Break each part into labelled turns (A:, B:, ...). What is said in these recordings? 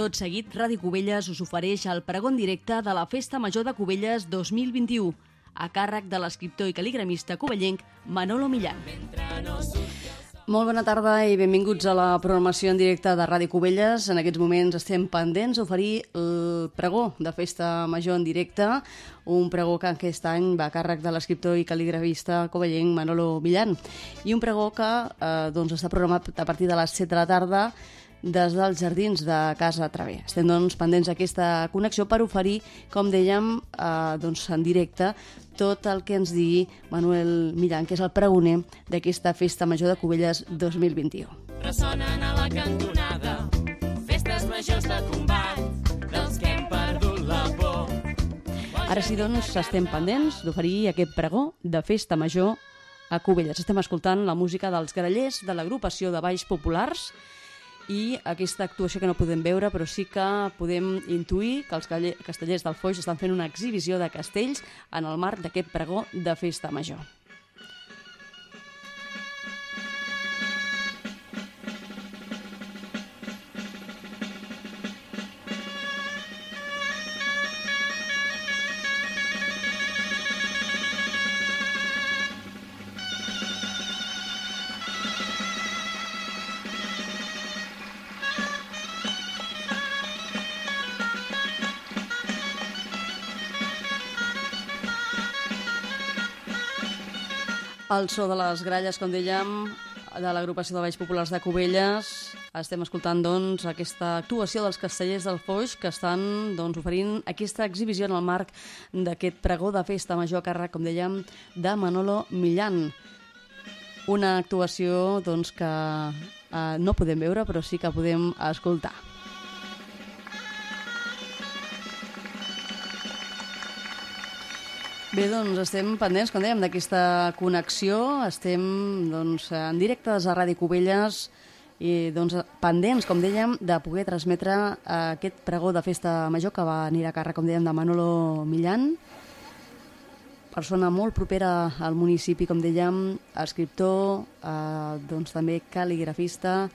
A: Tot seguit, Ràdio Cubelles us ofereix el pregó en directe de la Festa Major de Cubelles 2021, a càrrec de l'escriptor i cal·ligramista covellenc Manolo Millán. Molt bona tarda i benvinguts a la programació en directe de Ràdio Cubelles. En aquests moments estem pendents d'oferir el pregó de Festa Major en directe, un pregó que aquest any va a càrrec de l'escriptor i cal·ligramista covellenc Manolo Millán, i un pregó que està programat a partir de les 7 de la tarda des dels jardins de Casa Traver. Estem pendents d'aquesta connexió per oferir, com dèiem, en directe tot el que ens digui Manuel Millán, que és el pregoner d'aquesta Festa Major de Cubelles 2021.
B: Ressonen a la cantonada festes majors de combat dels que hem perdut la por.
A: Ara sí, estem pendents d'oferir aquest pregó de Festa Major a Cubelles. Estem escoltant la música dels grallers de l'agrupació de Balls Populars i aquesta actuació que no podem veure, però sí que podem intuir que els castellers del Foix estan fent una exhibició de castells en el marc d'aquest pregó de Festa Major. El so de les gralles, com dèiem, de l'agrupació de Balls Populars de Cubelles. Estem escoltant, aquesta actuació dels castellers del Foix que estan oferint aquesta exhibició en el marc d'aquest pregó de Festa Major a càrrec, com dèiem, de Manolo Millán. Una actuació que no podem veure, però sí que podem escoltar. Bé, estem pendents, com dèiem, d'aquesta connexió. Estem en directe des de Ràdio Cubelles i pendents, com dèiem, de poder transmetre aquest pregó de Festa Major que va anirà a càrrec, com dèiem, de Manolo Millán, persona molt propera al municipi, com dèiem, escriptor, també cal·ligrafista.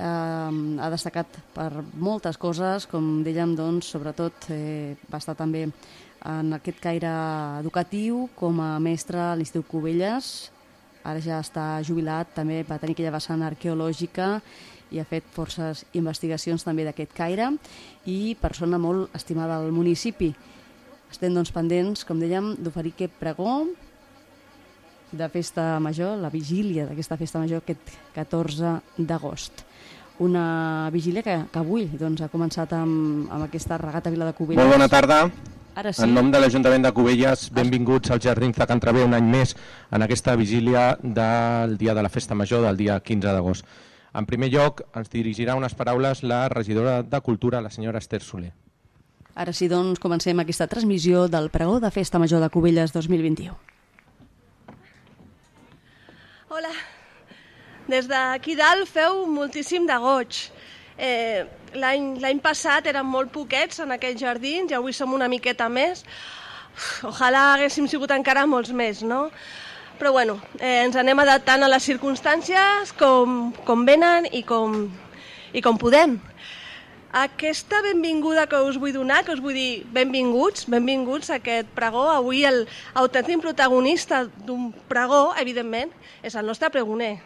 A: Ha destacat per moltes coses, com dèiem, sobretot va estar també en aquest caire educatiu com a mestre a l'Institut Cubelles. Ara ja està jubilat, també va tenir aquella vessant arqueològica i ha fet forces investigacions també d'aquest caire, i persona molt estimada al municipi. Estem pendents, com dèiem, d'oferir aquest pregó de Festa Major, la vigília d'aquesta Festa Major aquest 14 d'agost. Una vigília que avui ha començat amb aquesta regata Vila de Cubelles.
C: Molt bona tarda.
A: Ara sí.
C: En nom de l'Ajuntament de Cubelles, benvinguts als Jardins de Can Traver un any més en aquesta vigília del dia de la Festa Major, del dia 15 d'agost. En primer lloc, ens dirigirà unes paraules la regidora de Cultura, la senyora Esther Soler.
A: Ara sí, comencem aquesta transmissió del pregó de Festa Major de Cubelles 2021.
D: Hola. Des d'aquí dalt feu moltíssim de goig. L'any passat érem molt poquets en aquests jardins i avui som una miqueta més. Ojalà haguéssim sigut encara molts més, no? Però bueno, ens anem adaptant a les circumstàncies com venen i com podem. Aquesta benvinguda que us vull donar, que us vull dir benvinguts a aquest pregó. Avui el autèntic protagonista d'un pregó, evidentment, és el nostre pregoner.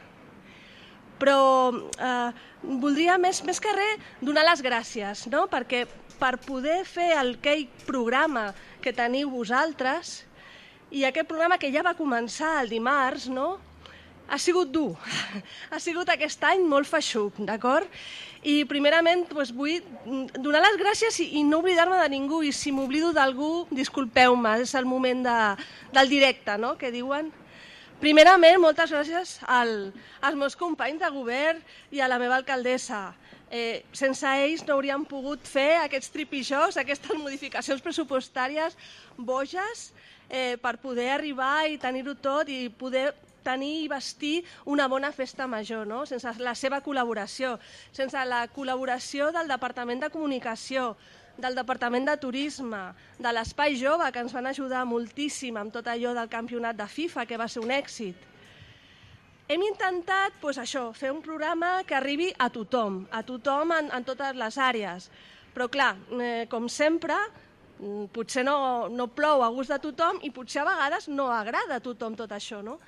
D: Però voldria més que res donar les gràcies, no? Perquè per poder fer aquell programa que teniu vosaltres, i aquest programa que ja va començar el dimarts, no? Ha sigut dur, ha sigut aquest any molt feixuc, d'acord? I primerament vull donar les gràcies i no oblidar-me de ningú, i si m'oblido d'algú, disculpeu-me, és el moment del directe, no?, que diuen. Primerament, moltes gràcies als meus companys de govern i a la meva alcaldessa. Sense ells no hauríem pogut fer aquests tripijós, aquestes modificacions pressupostàries boges per poder arribar i tenir-ho tot i poder tenir i vestir una bona festa major, no? Sense la seva col·laboració, sense la col·laboració del Departament de Comunicació, del Departament de Turisme, de l'Espai Jove, que ens van ajudar moltíssim amb tot allò del campionat de FIFA, que va ser un èxit. Hem intentat fer un programa que arribi a tothom en totes les àrees. Però clar, com sempre, potser no plou a gust de tothom i potser a vegades no agrada a tothom tot això, no?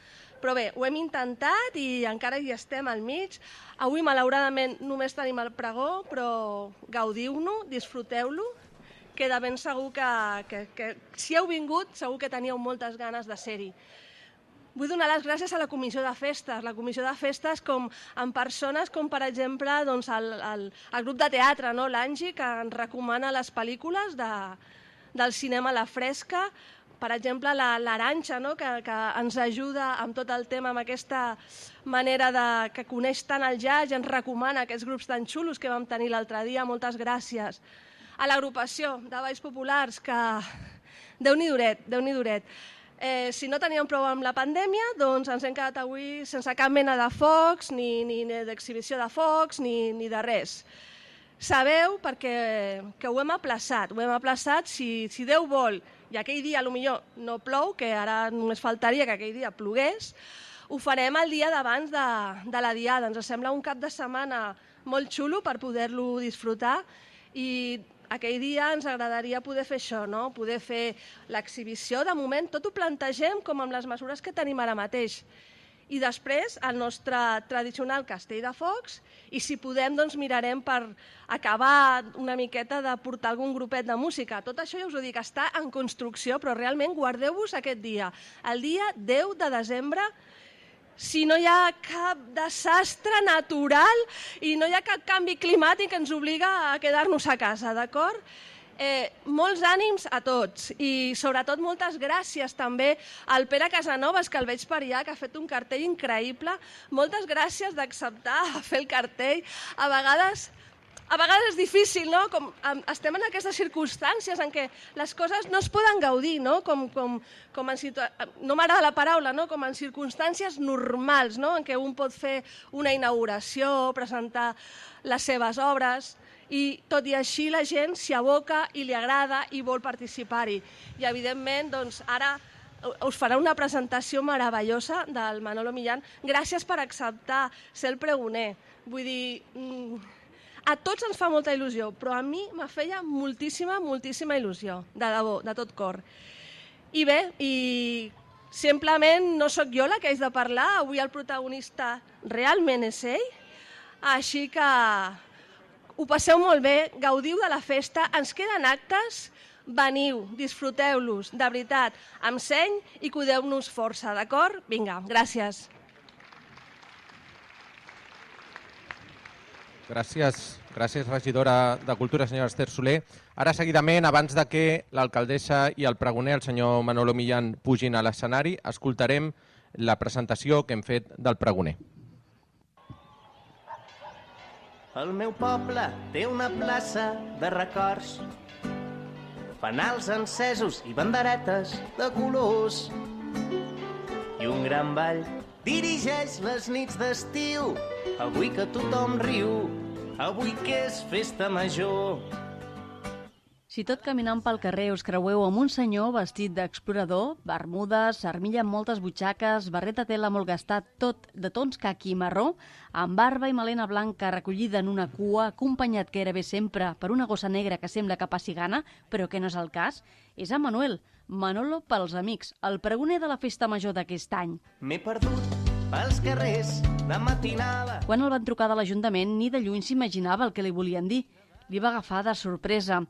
D: Però bé, ho hem intentat i encara hi estem al mig. Avui, malauradament, només tenim el pregó, però gaudiu-no, disfruteu-lo. Queda ben segur que si heu vingut, segur que teníeu moltes ganes de ser-hi. Vull donar les gràcies a la Comissió de Festes. La Comissió de Festes amb persones com, per exemple, el grup de teatre, l'Angi, que ens recomana les pel·lícules del cinema a la fresca. Per exemple, l'Aranxa, que ens ajuda amb tot el tema, amb aquesta manera que coneix tant el jazz i ens recomana aquests grups tan xulos que vam tenir l'altre dia. Moltes gràcies. A l'agrupació de Balls Populars, que Déu-n'hi duret. Si no teníem prou amb la pandèmia, doncs ens hem quedat avui sense cap mena de focs, ni d'exhibició de focs, ni de res. Sabeu perquè que ho hem aplaçat. Si Déu vol, i aquell dia potser no plou, que ara només faltaria que aquell dia plogués, ho farem el dia d'abans de la Diada. Ens sembla un cap de setmana molt xulo per poder-lo disfrutar i aquell dia ens agradaria poder fer això, poder fer l'exhibició. De moment tot ho plantegem com amb les mesures que tenim ara mateix. I després el nostre tradicional castell de focs i si podem doncs mirarem per acabar una miqueta de portar algun grupet de música. Tot això ja us ho dic, està en construcció, però realment guardeu-vos aquest dia, el dia 10 de desembre. Si no hi ha cap desastre natural i no hi ha cap canvi climàtic que ens obliga a quedar-nos a casa, d'acord? Molts ànims a tots i sobretot moltes gràcies també al Pere Casanovas, que el veig per allà, que ha fet un cartell increïble. Moltes gràcies d'acceptar fer el cartell. A vegades és difícil, no? Estem en aquestes circumstàncies en què les coses no es poden gaudir, no? No m'agrada la paraula, no? Com en circumstàncies normals, no? En què un pot fer una inauguració, presentar les seves obres, i tot i així la gent s'hi aboca i li agrada i vol participar-hi. I evidentment, doncs, ara us farà una presentació meravellosa del Manolo Millán. Gràcies per acceptar ser el pregoner. Vull dir, a tots ens fa molta il·lusió, però a mi me feia moltíssima il·lusió, de debò, de tot cor. I bé, simplement no sóc jo la que haig de parlar, avui el protagonista realment és ell, així que ho passeu molt bé, gaudiu de la festa, ens queden actes, veniu, disfruteu-los, de veritat, amb seny i cuideu-nos força, d'acord? Vinga, gràcies.
C: Gràcies, regidora de Cultura, senyora Esther Soler. Ara, seguidament, abans de que l'alcaldessa i el pregoner, el senyor Manolo Millán, pugin a l'escenari, escoltarem la presentació que hem fet del pregoner.
E: El meu poble té una plaça de records, fanals encesos i banderetes de colors, i un gran ball dirigeix les nits d'estiu, avui que tothom riu, avui que és festa major.
A: Si tot caminant pel carrer us creueu amb un senyor vestit d'explorador, bermudes, armilla amb moltes butxaques, barret de tela molt gastat, tot de tons caqui i marró, amb barba i melena blanca recollida en una cua, acompanyat gairebé sempre per una gossa negra que sembla que passi gana, però que no és el cas, és en Manuel, Manolo pels amics, el pregoner de la festa major d'aquest any.
E: M'he perdut pels carrers de matinada.
A: Quan el van trucar de l'Ajuntament, ni de lluny s'imaginava el que li volien dir. Li va agafar de sorpresa.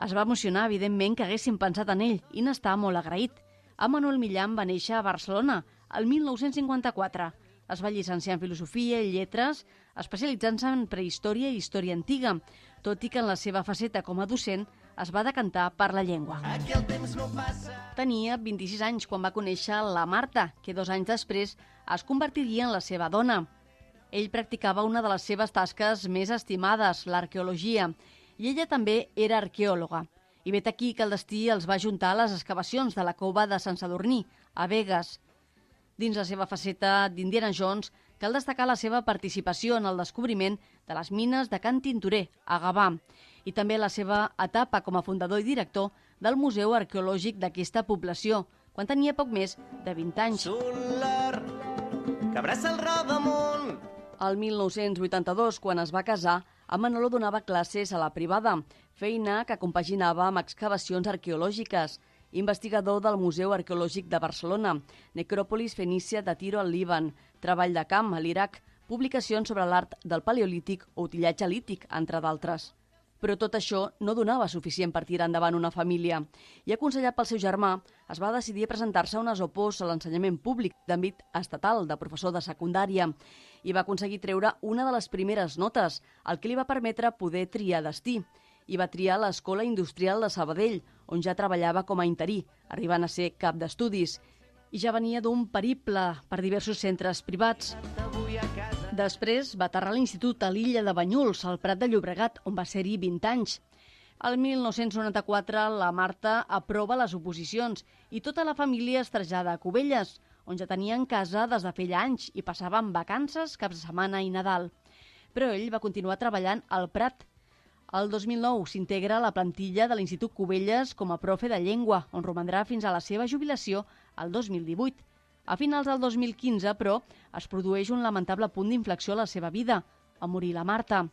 A: Es va emocionar, evidentment, que haguessin pensat en ell i n'està molt agraït. En Manuel Millán va néixer a Barcelona, el 1954. Es va llicenciar en Filosofia i Lletres, especialitzant-se en prehistòria i història antiga, tot i que en la seva faceta com a docent es va decantar per la llengua. Tenia 26 anys quan va conèixer la Marta, que 2 anys després es convertiria en la seva dona. Ell practicava una de les seves tasques més estimades, l'arqueologia, i ella també era arqueòloga. I vet aquí que el destí els va juntar a les excavacions de la cova de Sant Sadurní, a Begues. Dins la seva faceta d'Indiana Jones, cal destacar la seva participació en el descobriment de les mines de Can Tintorer, a Gavà, i també la seva etapa com a fundador i director del Museu Arqueològic d'aquesta població, quan tenia poc més de 20 anys.
E: que abraça el rodamunt.
A: El 1982, quan es va casar, en Manolo donava classes a la privada, feina que compaginava amb excavacions arqueològiques. Investigador del Museu Arqueològic de Barcelona, Necròpolis Fenícia de Tiro al Líban, treball de camp a l'Iraq, publicacions sobre l'art del paleolític o utillatge lític, entre d'altres. Però tot això no donava suficient per tirar endavant una família i, aconsellat pel seu germà, es va decidir a presentar-se a unes opos a l'ensenyament públic d'àmbit estatal de professor de secundària i va aconseguir treure una de les primeres notes, el que li va permetre poder triar destí. I va triar l'Escola Industrial de Sabadell, on ja treballava com a interí, arribant a ser cap d'estudis. I ja venia d'un periple per diversos centres privats. Després va aterrar a l'institut a l'illa de Banyuls, al Prat de Llobregat, on va ser-hi 20 anys. El 1994 la Marta aprova les oposicions i tota la família es trasllada a Cubelles, on ja tenien casa des de feia anys i passaven vacances, caps de setmana i Nadal. Però ell va continuar treballant al Prat. El 2009 s'integra a la plantilla de l'Institut Cubelles com a profe de llengua, on romandrà fins a la seva jubilació el 2018. A finals del 2015, però, es produeix un lamentable punt d'inflexió a la seva vida, a morir la Marta.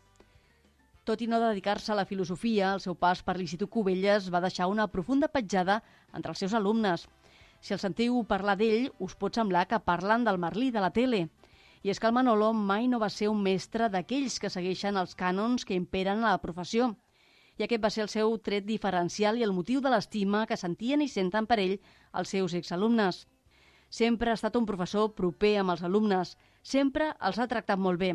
A: Tot i no dedicar-se a la filosofia, el seu pas per l'Institut Cubelles va deixar una profunda petjada entre els seus alumnes. Si el sentiu parlar d'ell, us pot semblar que parlen del Merlí de la tele. I és que el Manolo mai no va ser un mestre d'aquells que segueixen els cànons que imperen a la professió. I aquest va ser el seu tret diferencial i el motiu de l'estima que sentien i senten per ell els seus exalumnes. Sempre ha estat un professor proper amb els alumnes, sempre els ha tractat molt bé.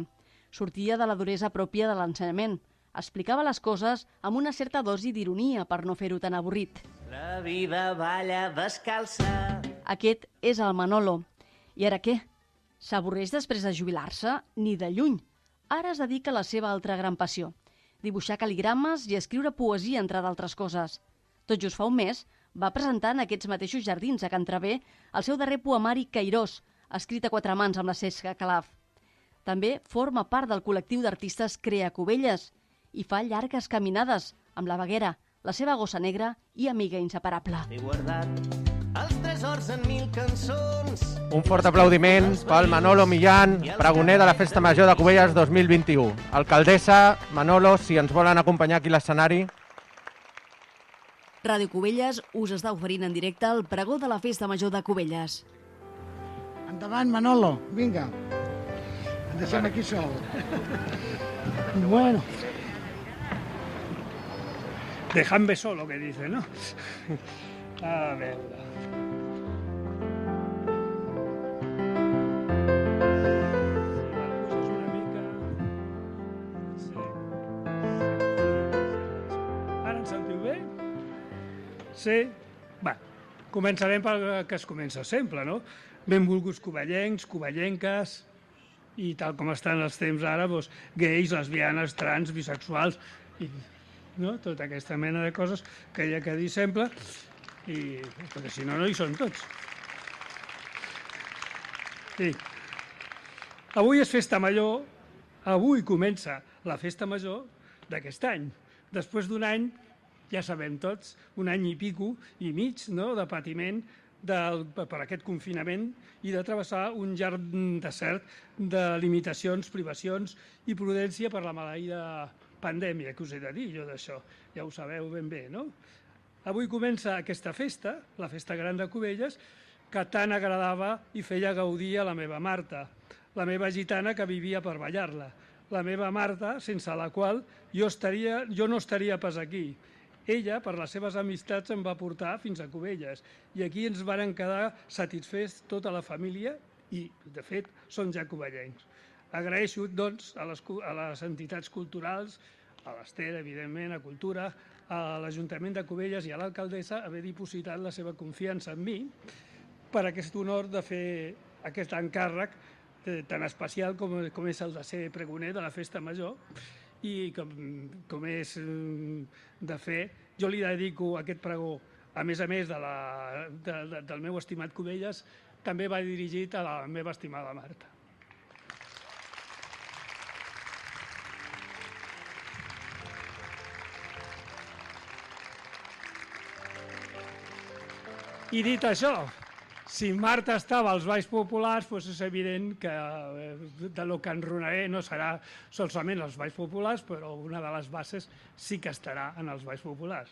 A: Sortia de la duresa pròpia de l'ensenyament. Explicava les coses amb una certa dosi d'ironia per no fer-ho tan avorrit.
E: La vida balla descalça.
A: Aquest és el Manolo. I ara què? S'avorreix després de jubilar-se? Ni de lluny. Ara es dedica a la seva altra gran passió, dibuixar cal·ligrames i escriure poesia, entre d'altres coses. Tot just fa un mes va presentar en aquests mateixos jardins a Can Traver el seu darrer poemari Cairós, escrit a 4 mans amb la Cesca Calaf. També forma part del col·lectiu d'artistes Crea Cubelles i fa llargues caminades amb la Baguera, la seva gossa negra i amiga inseparable.
E: He guardat els tresors en 1000 cançons.
C: Un fort aplaudiment pel Manolo Millán, pregoner de la Festa Major de Cubelles 2021. Alcaldessa, Manolo, si ens volen acompanyar aquí a l'escenari.
A: Ràdio Cubelles us està oferint en directe el pregó de la Festa Major de Cubelles.
F: Endavant, Manolo, vinga. Em deixem aquí sol.
G: Bueno. Déjame solo, que dice, ¿no? A veure. Ara ens sentiu bé? Sí? Va, començarem pel que es comença sempre, no? Benvolguts covellencs, covellenques, i tal com estan els temps ara, doncs, gais, lesbianes, trans, bisexuals, i no? Tota aquesta mena de coses que hi ha que dir sempre, i, perquè si no, no hi són tots. Sí. Avui és Festa Major, avui comença la Festa Major d'aquest any. Després d'un any, ja sabem tots, un any i pico i mig, no?, de patiment per aquest confinament i de travessar un llarg desert de limitacions, privacions i prudència per la maleïda pandèmia, que us he de dir jo d'això, ja ho sabeu ben bé, no? Avui comença aquesta festa, la Festa Gran de Cubelles, que tant agradava i feia gaudir a la meva Marta, la meva gitana que vivia per ballar-la, la meva Marta, sense la qual jo no estaria pas aquí. Ella, per les seves amistats, em va portar fins a Cubelles i aquí ens varen quedar satisfets tota la família i, de fet, són ja cubellencs. Agraeixo, doncs, a les entitats culturals, a l'Ester, evidentment, a Cultura, a l'Ajuntament de Cubelles i a l'alcaldessa haver dipositat la seva confiança en mi per aquest honor de fer aquest encàrrec tan especial com és el de ser pregoner de la Festa Major i com és de fer. Jo li dedico aquest pregó, a més del meu estimat Cubelles, també va dirigit a la meva estimada Marta. I dit això, si Marta estava als balls populars, doncs és evident que de lo que enronaré no serà solament els balls populars, però una de les bases sí que estarà en els balls populars.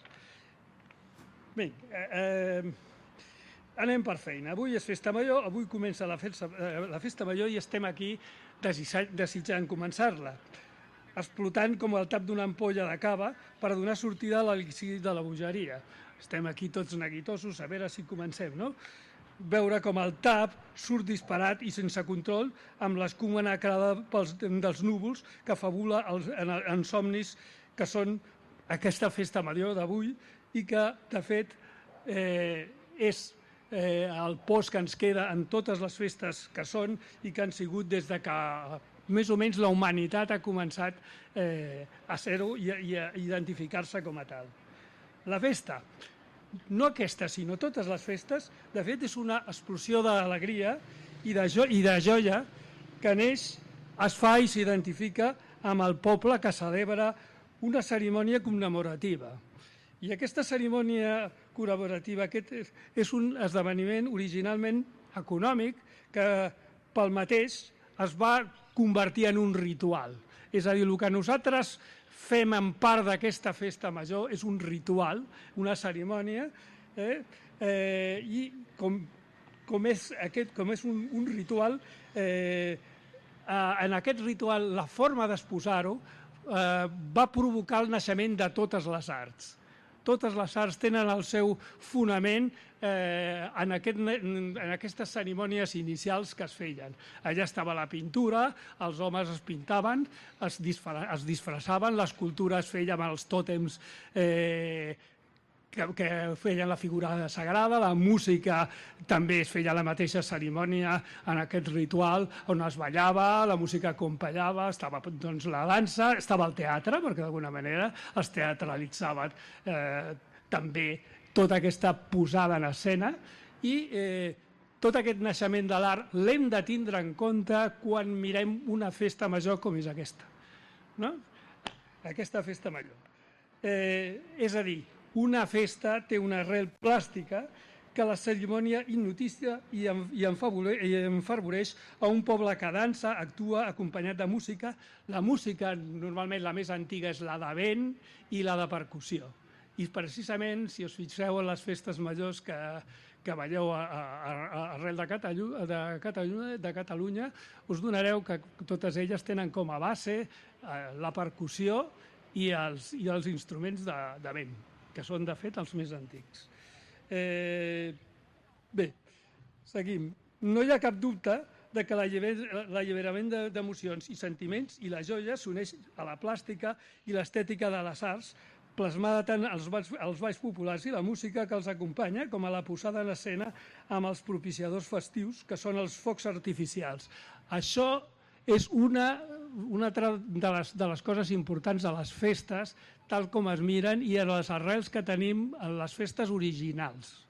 G: Bé, anem per feina. Avui és Festa Major, avui comença la Festa Major i estem aquí desitjant començar-la, explotant com el tap d'una ampolla de cava per donar sortida a l'elixir de la bogeria. Estem aquí tots neguitosos, a veure si comencem, no? Veure com el tap surt disparat i sense control amb l'escuma nacrada dels núvols que fabula en somnis que són aquesta Festa Major d'avui i que, de fet, és el post que ens queda en totes les festes que són i que han sigut des de que més o menys la humanitat ha començat a ser-ho i a identificar-se com a tal. La festa, no aquesta, sinó totes les festes, de fet és una explosió d'alegria i de joia que neix, es fa i s'identifica amb el poble que celebra una cerimònia commemorativa. I aquesta cerimònia commemorativa és un esdeveniment originalment econòmic que pel mateix es va convertir en un ritual. És a dir, el que nosaltres fem en part d'aquesta Festa Major és un ritual, una cerimònia, i com és un ritual, en aquest ritual la forma d'exposar-ho va provocar el naixement de totes les arts. Totes les arts tenen el seu fonament en aquestes cerimònies inicials que es feien. Allà estava la pintura, els homes es pintaven, es disfressaven, l'escultura es feia amb els tòtems que feien la figura sagrada, la música també es feia la mateixa cerimònia en aquest ritual on es ballava, la música acompanyava, estava doncs, la dansa, estava el teatre, perquè d'alguna manera es teatralitzaven també tota aquesta posada en escena i tot aquest naixement de l'art l'hem de tindre en compte quan mirem una festa major com és aquesta, no? Aquesta Festa Major. És a dir, una festa té una arrel plàstica que la cerimònia hipnotitza i enfervoreix a un poble que dansa, actua acompanyat de música. La música, normalment la més antiga, és la de vent i la de percussió. I precisament, si us fixeu en les festes majors que veieu arrel de Catalunya, us donareu que totes elles tenen com a base la percussió i els instruments de vent, que són, de fet, els més antics. Bé, seguim. No hi ha cap dubte que l'alliberament d'emocions i sentiments i la joia s'uneix a la plàstica i l'estètica de les arts, plasmada tant als balls populars i la música que els acompanya, com a la posada en escena amb els propiciadors festius, que són els focs artificials. Això és una altra de les coses importants de les festes, tal com es miren i en les arrels que tenim en les festes originals.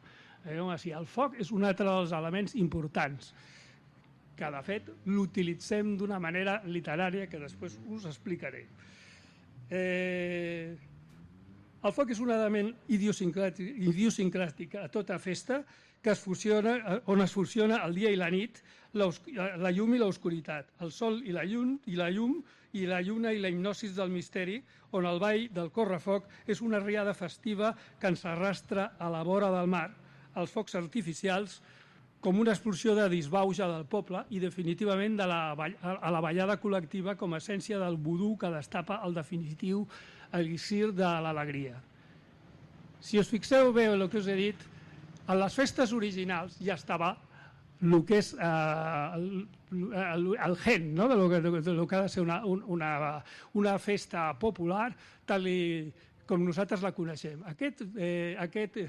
G: El foc és un altre dels elements importants, que de fet l'utilitzem d'una manera literària que després us explicaré. El foc és un element idiosincràtic a tota festa on es fusiona el dia i la nit, la llum i l'oscuritat, el sol i la llum, i la lluna i la hipnosis del misteri, on el ball del correfoc és una riada festiva que ens arrastra a la vora del mar, els focs artificials, com una explosió de disbauxa del poble i definitivament a la ballada col·lectiva com a essència del vudú que destapa el definitiu elixir de l'alegria. Si us fixeu bé el que us he dit, en les festes originals ja estava el que és el gen, no? del que ha de ser una festa popular tal com nosaltres la coneixem. Aquest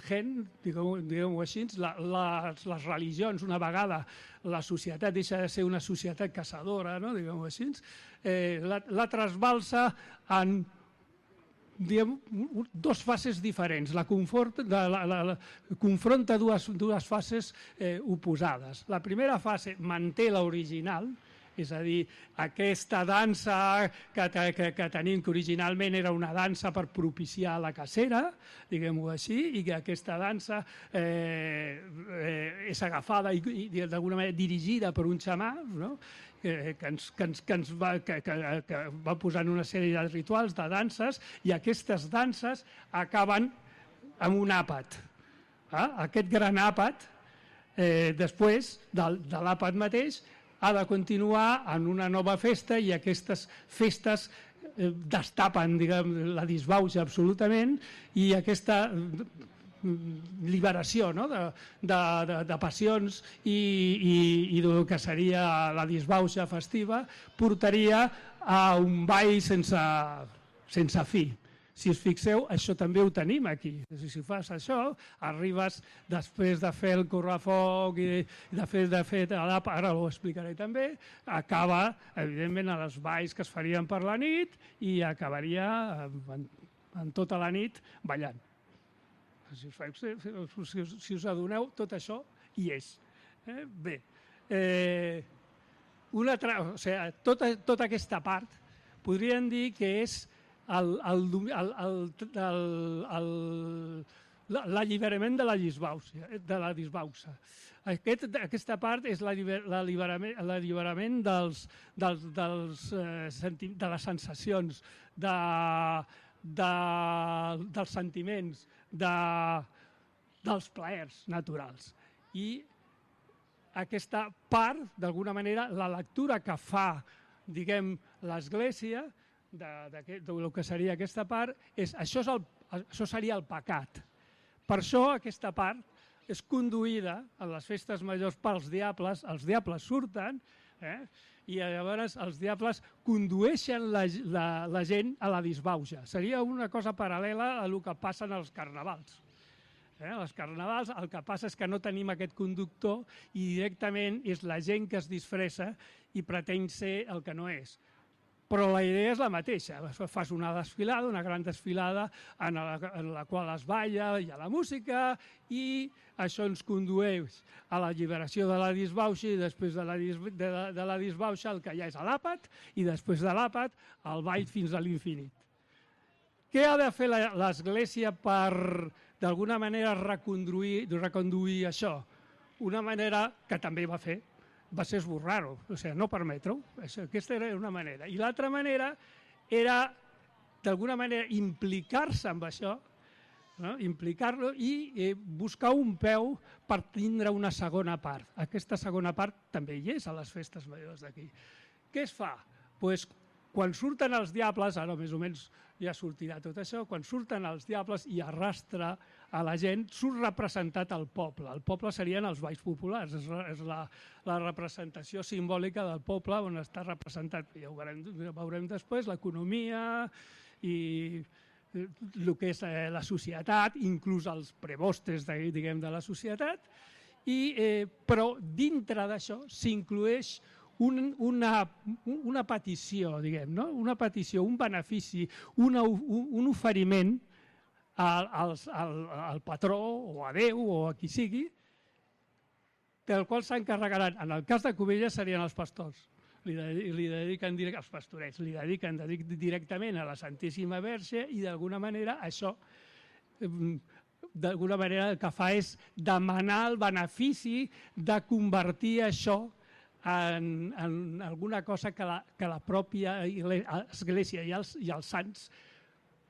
G: gen, diguem-ho així, les religions, una vegada la societat deixa de ser una societat caçadora, no? Diguem-ho així, la trasbalsa en dues fases diferents. Confronta dues fases oposades. La primera fase manté l'original, és a dir, aquesta dansa que tenim, que originalment era una dansa per propiciar la cacera, diguem-ho així, i que aquesta dansa és agafada i d'alguna manera dirigida per un xamà, no? que va posant una sèrie de rituals, de danses, i aquestes danses acaben amb un àpat. Aquest gran àpat, després de l'àpat mateix, ha de continuar en una nova festa, i aquestes festes destapen, diguem, la disbauxa absolutament, i aquesta liberació, no? de passions i del que seria la disbauxa festiva portaria a un ball sense fi. Si us fixeu, això també ho tenim aquí. Si fas això, arribes després de fer el correfoc i de fer ara ho explicaré també, acaba, evidentment, a les balls que es farien per la nit i acabaria en tota la nit ballant. Si us adoneu, tot això hi és. Bé, tota aquesta part podríem dir que és l'alliberament de la disbauxa. Aquesta part és l'alliberament de les sensacions, dels sentiments, dels plaers naturals. I aquesta part, d'alguna manera, la lectura que fa, diguem, l'Església, del que seria aquesta part, això seria el pecat. Per això aquesta part és conduïda en les festes majors pels diables, els diables surten, i llavors els diables condueixen la gent a la disbauxa. Seria una cosa paral·lela a el que passa als carnavals. Els carnavals el que passa és que no tenim aquest conductor i directament és la gent que es disfressa i pretén ser el que no és. Però la idea és la mateixa. Fas una desfilada, una gran desfilada en la qual es balla, hi ha la música, i això ens condueix a la lliberació de la disbauxa, i després de la disbauxa el que hi ha és l'àpat, i després de l'àpat el ball fins a l'infinit. Què ha de fer l'Església per, d'alguna manera, reconduir això? Una manera que també va fer va ser esborrar-ho, o sigui, no permetre-ho. Aquesta era una manera. I l'altra manera era, d'alguna manera, implicar-se amb això, implicar-lo i buscar un peu per tindre una segona part. Aquesta segona part també hi és a les festes majors d'aquí. Què es fa? Doncs quan surten els diables, ara més o menys ja sortirà tot això, quan surten els diables i arrastra a la gent, surt representat el poble. El poble serien els balls populars, és la representació simbòlica del poble on està representat, ja ho veurem després, l'economia i el que és la societat, inclús els prebostes, diguem, de la societat, però dintre d'això s'inclueix una petició, diguem, no? Una petició, un benefici, un oferiment al patró o a Déu o a qui sigui, del qual s'encarregaran. En el cas de Cubelles serien els pastors. Li dediquen els pastorets, li dediquen directament a la Santíssima Verge i d'alguna manera això d'alguna manera el que fa és demanar el benefici de convertir això en alguna cosa que la pròpia Església i els sants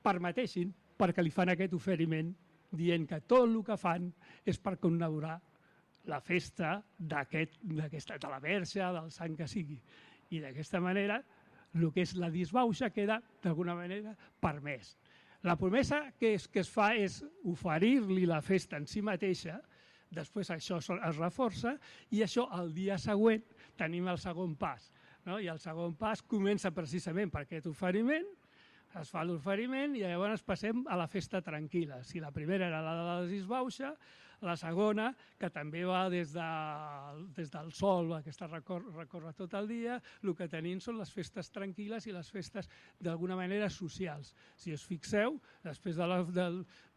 G: permetessin, perquè li fan aquest oferiment dient que tot el que fan és per conmemorar la festa de la Verge, del sant que sigui. I d'aquesta manera el que és la disbauxa queda d'alguna manera permès. La promesa que es fa és oferir-li la festa en si mateixa, després això es reforça i això el dia següent tenim el segon pas. I el segon pas comença precisament per aquest oferiment, es fa l'oferiment i llavors passem a la festa tranquil·la. Si la primera era la de la disbauxa, la segona, que també va des del sol, aquesta recorre tot el dia, el que tenim són les festes tranquil·les i les festes d'alguna manera socials. Si us fixeu, després de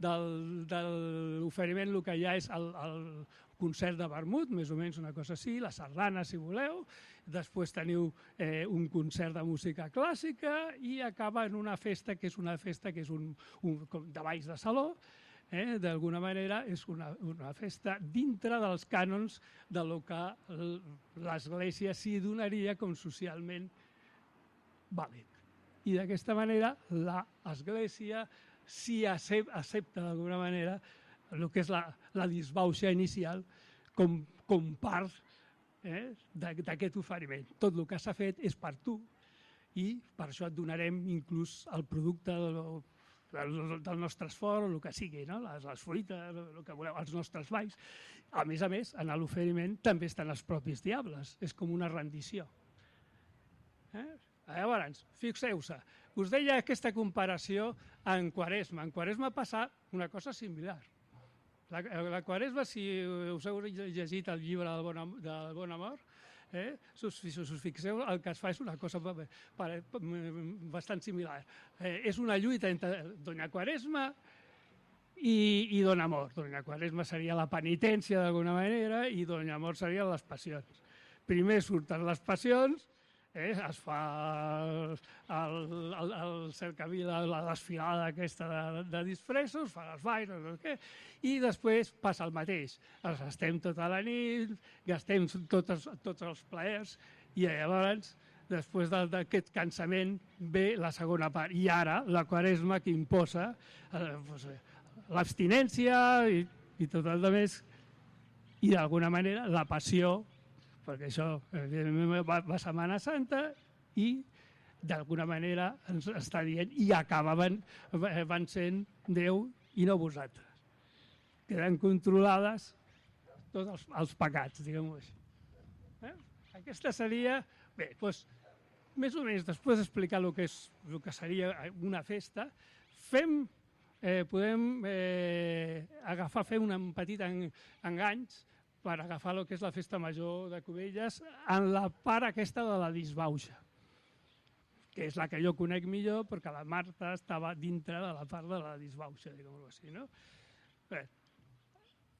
G: l'oferiment el que hi ha és el concert de vermut, més o menys una cosa així, la sardana, si voleu, després teniu un concert de música clàssica i acaba en una festa que és de balls de saló, d'alguna manera és una festa dintre dels cànons del que l'Església s'hi donaria com socialment vàlid. I d'aquesta manera l'Església s'hi accepta d'alguna manera el que és la disbauxa inicial com part d'aquest oferiment. Tot el que s'ha fet és per tu i per això et donarem inclús el producte del nostre esforç, el que sigui, no? Les fruites, el que voleu, els nostres balls. A més, en l'oferiment també estan els propis diables. És com una rendició. Llavors, fixeu-se, us deia aquesta comparació en Quaresma. En Quaresma passa una cosa similar. La Quaresma, si us heu llegit el llibre del Bon Amor, si us fixeu, el que es fa és una cosa bastant similar. És una lluita entre Doña Quaresma i Don Amor. Doña Quaresma seria la penitència d'alguna manera i Don Amor serien les passions. Primer surten les passions, es fa el cercavila, la desfilada aquesta de disfressos, fa les balls, no sé què, i després passa el mateix. Els estem tota la nit, gastem tots els plaers, i llavors, després d'aquest cansament, ve la segona part. I ara, la Quaresma que imposa l'abstinència i tot el més, i d'alguna manera la passió, perquè això va Setmana Santa i d'alguna manera ens està dient i acabaven sent Déu i no vosaltres. Queden controlades tots els pecats, diguem-ho així. Aquesta seria, bé, doncs, més o menys després d'explicar el que seria una festa, podem fer un petit enganys per agafar el que és la Festa Major de Cubelles en la part aquesta de la disbauxa, que és la que jo conec millor perquè la Marta estava dintre de la part de la disbauxa, diguem-ho així, no? Bé,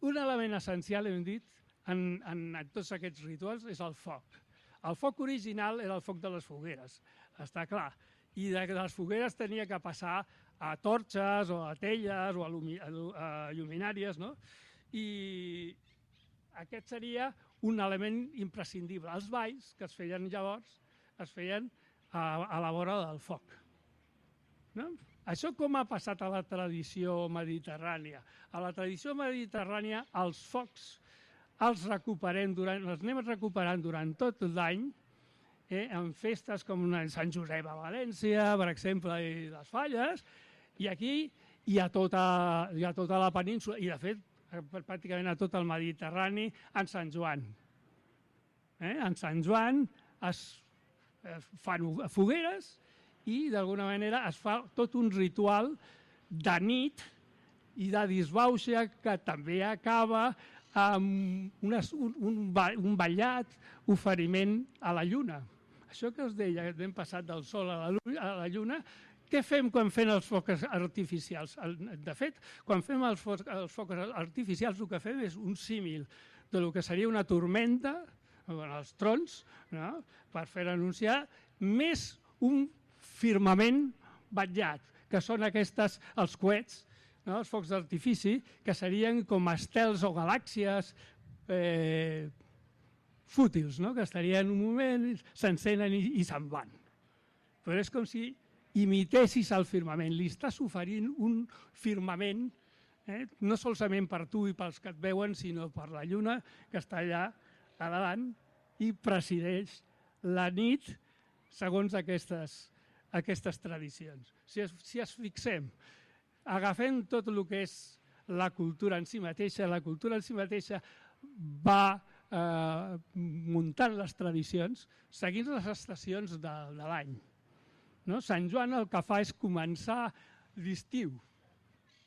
G: un element essencial, hem dit, en tots aquests rituals és el foc. El foc original era el foc de les fogueres, està clar, i de les fogueres tenia que passar a torxes o a telles o a lluminàries, no? I aquest seria un element imprescindible. Els balls que es feien llavors es feien a la vora del foc. No? Això com ha passat a la tradició mediterrània? A la tradició mediterrània els focs els anem recuperant durant tot l'any en festes com Sant Josep a València, per exemple, i les Falles, i aquí hi ha tota la península, i de fet pràcticament a tot el Mediterrani, en Sant Joan. En Sant Joan es fan fogueres i d'alguna manera es fa tot un ritual de nit i de disbauxa que també acaba amb un ballat, oferiment a la lluna. Això que us deia, que hem passat del sol a la lluna, què fem quan fem els focs artificials? De fet, quan fem els focs artificials el que fem és un símil del que seria una tormenta, els trons, no? Per fer anunciar, més un firmament batllat, que són els coets, no? Els focs d'artifici, que serien com estels o galàxies fútils, no? Que estarien un moment, s'encenen i se'n van. Però és com si imitessis el firmament, li estàs oferint un firmament, no solament per tu i pels que et veuen, sinó per la lluna que està allà a davant i presideix la nit segons aquestes tradicions. Si es fixem, agafem tot el que és la cultura en si mateixa, la cultura en si mateixa va muntant les tradicions seguint les estacions de l'any. No? Sant Joan el que fa és començar l'estiu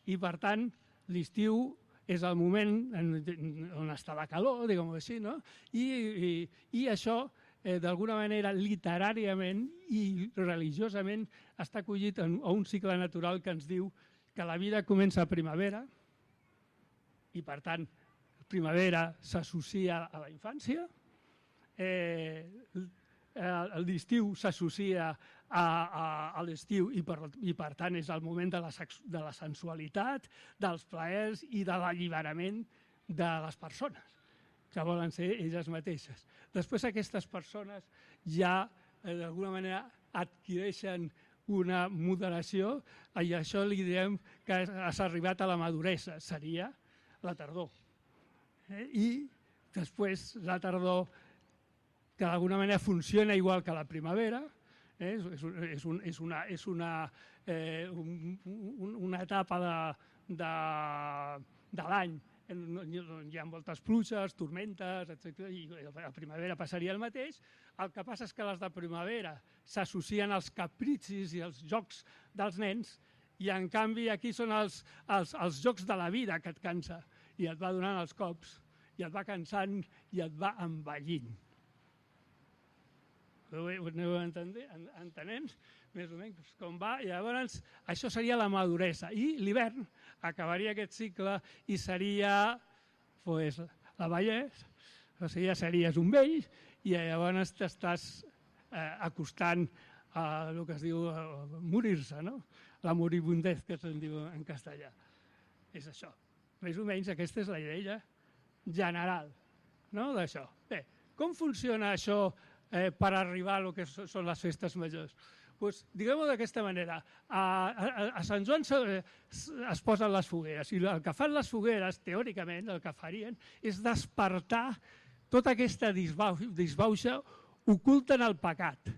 G: i, per tant, l'estiu és el moment on està la calor, diguem-ho així, no? I això, d'alguna manera, literàriament i religiosament, està acollit a un cicle natural que ens diu que la vida comença a primavera i, per tant, primavera s'associa a la infància, l'estiu s'associa a l'estiu i per tant és el moment de la sensualitat, dels plaers i de l'alliberament de les persones, que volen ser elles mateixes. Després aquestes persones ja d'alguna manera adquireixen una moderació i això li diem que has arribat a la maduresa, seria la tardor. I després la tardor, que d'alguna manera funciona igual que la primavera, és una etapa de l'any. Hi ha moltes pluges, tormentes, etc. I a la primavera passaria el mateix. El que passa és que les de primavera s'associen als capricis i als jocs dels nens i, en canvi, aquí són els jocs de la vida que et cansa i et va donant els cops i et va cansant i et va envellint. Ho aneu entenent més o menys com va, i llavors això seria la maduresa. I l'hivern acabaria aquest cicle i seria la vellesa, o sigui, ja series un vell i llavors t'estàs acostant a el que es diu morir-se, no? La moribundez, que se'n diu en castellà. És això. Més o menys aquesta és la idea general d'això. Bé, com funciona això per arribar a lo que són les festes majors? Diguem-ho d'aquesta manera. A Sant Joan es posen les fogueres i el que fan les fogueres, teòricament, el que farien és despertar tota aquesta disbauxa oculta en el pecat.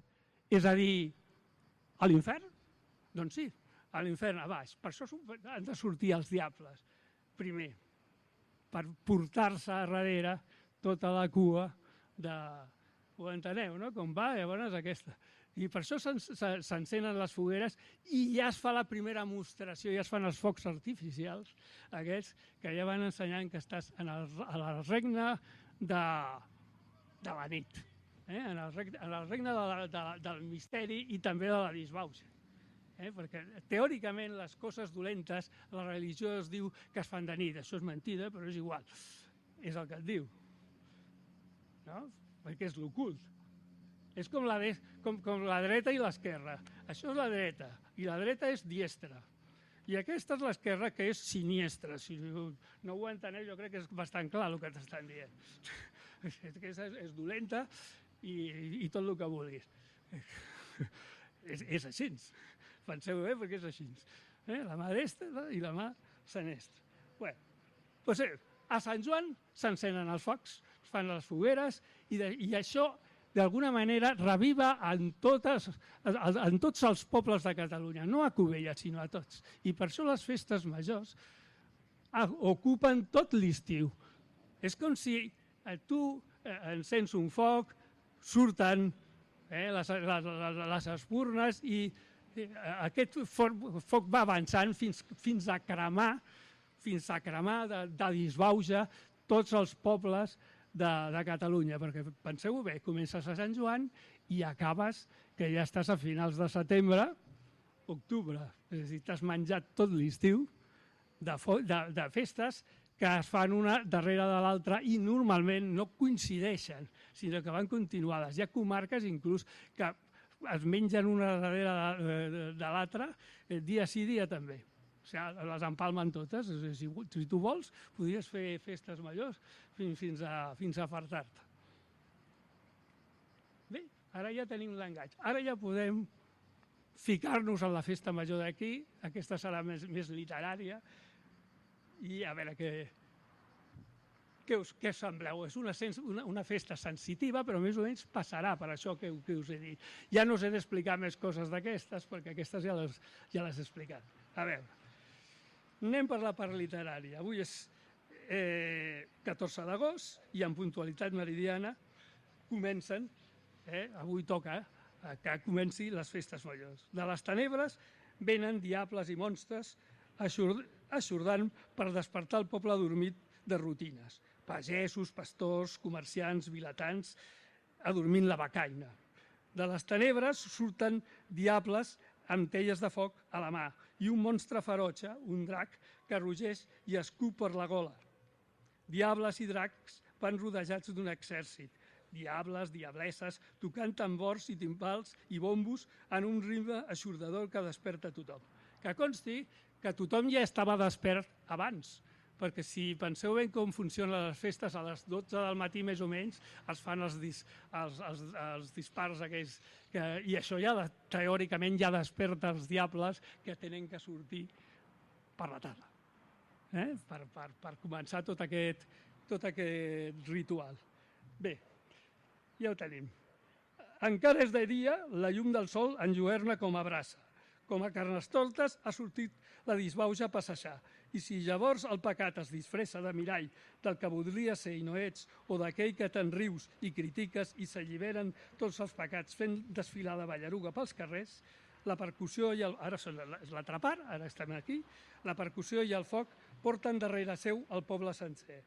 G: És a dir, a l'infern? Doncs sí, a l'infern, a baix. Per això han de sortir els diables, primer, per portar-se a darrere tota la cua de... Ho enteneu, no? Com va, llavors aquesta. I per això s'encenen les fogueres i ja es fa la primera mostració, ja es fan els focs artificials, aquests que ja van ensenyant que estàs en el regne de la nit, en el regne del misteri i també de la disbauxa. Perquè teòricament les coses dolentes, la religió es diu que es fan de nit, això és mentida, però és igual, és el que et diu, no? Perquè és l'ocult. És com la dreta i l'esquerra. Això és la dreta, i la dreta és diestra. I aquesta és l'esquerra, que és siniestra. Si no ho enteneu, jo crec que és bastant clar el que t'estan dient. Aquesta és dolenta i tot el que vulguis. És així. Penseu bé, perquè és així. La mà destra i la mà sinistra. Bé, a Sant Joan s'encenen els focs, es fan les fogueres i això, d'alguna manera, reviva en tots els pobles de Catalunya, no a Cubelles, sinó a tots. I per això les festes majors ocupen tot l'estiu. És com si tu encens un foc, surten les espurnes i aquest foc va avançant fins a cremar de disbauxa tots els pobles de Catalunya, perquè penseu bé, comences a Sant Joan i acabes que ja estàs a finals de setembre, octubre, és a dir, t'has menjat tot l'estiu de festes que es fan una darrere de l'altra i normalment no coincideixen, sinó que van continuades. Hi ha comarques inclús que es mengen una darrere de l'altra, dia sí, dia també. O sigui, les empalmen totes. Si tu vols, podries fer festes majors fins a fartar-te. Bé, ara ja tenim l'enganys. Ara ja podem ficar-nos en la festa major d'aquí. Aquesta serà més literària. I a veure què us sembleu. És una festa sensitiva, però més o menys passarà per això que us he dit. Ja no us he d'explicar més coses d'aquestes, perquè aquestes ja les he explicat. A veure, anem per la part literària. Avui és 14 d'agost i en puntualitat meridiana comencen, avui toca que comenci les festes majors. De les tenebres venen diables i monstres eixordant per despertar el poble adormit de rutines. Pagesos, pastors, comerciants, vilatans, adormint la becaina. De les tenebres surten diables amb telles de foc a la mà i un monstre ferotge, un drac, que rugeix i escup per la gola. Diables i dracs van rodejats d'un exèrcit. diables, diablesses, tocant tambors i timbals i bombos en un ritme eixordador que desperta tothom. Que consti que tothom ja estava despert abans, perquè si penseu ben com funcionen les festes, a les 12 del matí més o menys es fan els dispars aquells, i això ja teòricament ja desperta els diables que tenen que sortir per la tarda, per començar tot aquest ritual. Bé, ja ho tenim. Encara és de dia, la llum del sol enlluerna com a brasa. Com a carnestoltes ha sortit la disbauja a passejar. I si llavors el pecat es disfressa de mirall del que voldria ser i no ets, o d'aquell que te'n rius i critiques i s'alliberen tots els pecats fent desfilar la ballaruga pels carrers, la percussió i ara són l'atrapar, ara estem aquí, la percussió i el foc porten darrere seu el poble sencer.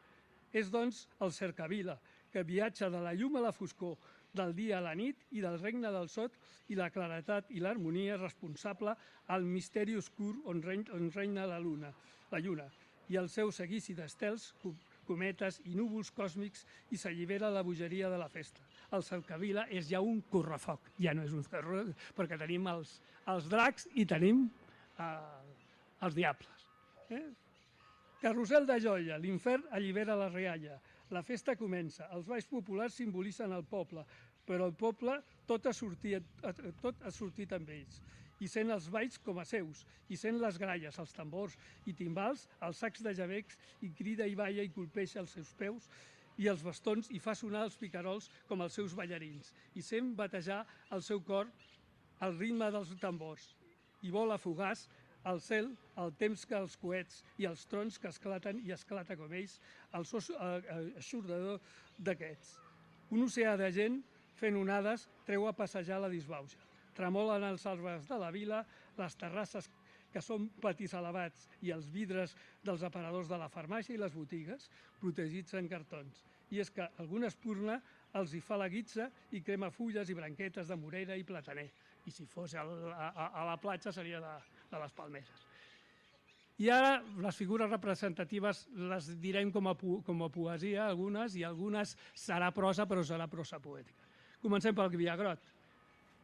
G: És, doncs, el cercavila, que viatja de la llum a la foscor, del dia a la nit i del regne del sot i la claretat i l'harmonia responsable al misteri oscur on regna la lluna, i el seu seguici d'estels, cometes i núvols còsmics i s'allibera la bogeria de la festa. El cercavila és ja un correfoc, ja no és un correfoc, perquè tenim els dracs i tenim els diables. Carrusel de joia, l'infern allibera la rialla, la festa comença, els balls populars simbolitzen el poble, però el poble tot ha sortit amb ells, i sent els balls com a seus, i sent les gralles, els tambors i timbals, els sacs de jabecs, i crida i balla i colpeja els seus peus, i els bastons, i fa sonar els picarols com els seus ballarins, i sent batejar el seu cor al ritme dels tambors, i vola fugaç al cel el temps que els coets i els trons que esclaten i esclata com ells, el so eixordador d'aquests. Un oceà de gent fent onades treu a passejar la disbauja. Tremolen els arbres de la vila, les terrasses que són patis elevats i els vidres dels aparadors de la farmàcia i les botigues, protegits en cartons. I és que alguna espurna els hi fa la guitza i crema fulles i branquetes de morera i plataner. I si fos a la platja seria de les palmeres. I ara les figures representatives les direm com a poesia, algunes, i algunes serà prosa, però serà prosa poètica. Comencem pel Villagrot.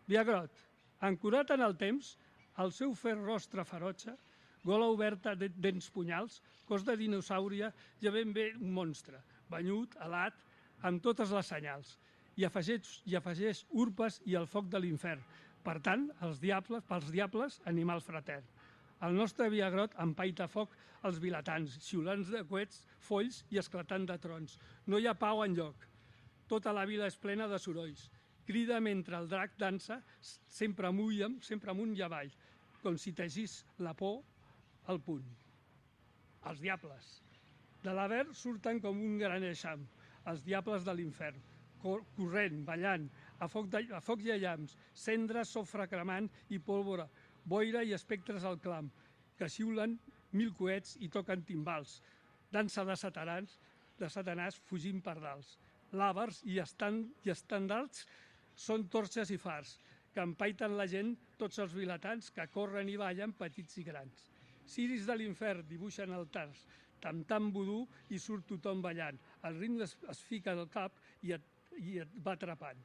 G: Villagrot, ancorat en el temps, el seu fer rostre ferotge, gola oberta de dents punyals, cos de dinosàuria, ja ben bé un monstre, banyut, alat, amb totes les senyals, i afegeix urpes i el foc de l'infern. Per tant, pels diables, animal fratern. El nostre Villagrot empaita foc als vilatans, xiulants de coets, folls i esclatant de trons. No hi ha pau enlloc. Tota la vila és plena de sorolls. Crida mentre el drac dansa, sempre amunt i avall, com si tegís la por al punt. Els diables. De l'Aver surten com un gran eixam, els diables de l'infern, corrent, ballant, a foc i a llamps, cendres, sofre cremant i pólvora, boira i espectres al clam, que xiulen 1000 coets i toquen timbals, dansa de satanàs fugint per dals. Làbars i estandards són torxes i fars, que empaiten la gent tots els vilatans que corren i ballen petits i grans. Ciris de l'infern dibuixen altars, tam-tam vudú i surt tothom ballant. El ritme es fica al cap i et va atrapant.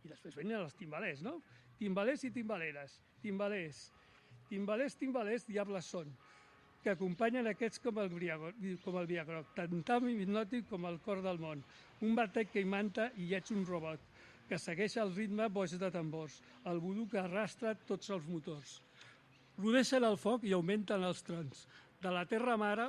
G: I després venen els timbalers, no? Timbalers i timbaleres, timbalers, diables són, que acompanyen aquests com el Villagrot, tan hipnòtic com el cor del món. Un batec que imanta i ets un robot, que segueix el ritme boig de tambors, el vudú que arrastra tots els motors. Rodeixen el foc i augmenten els trons. De la terra mare,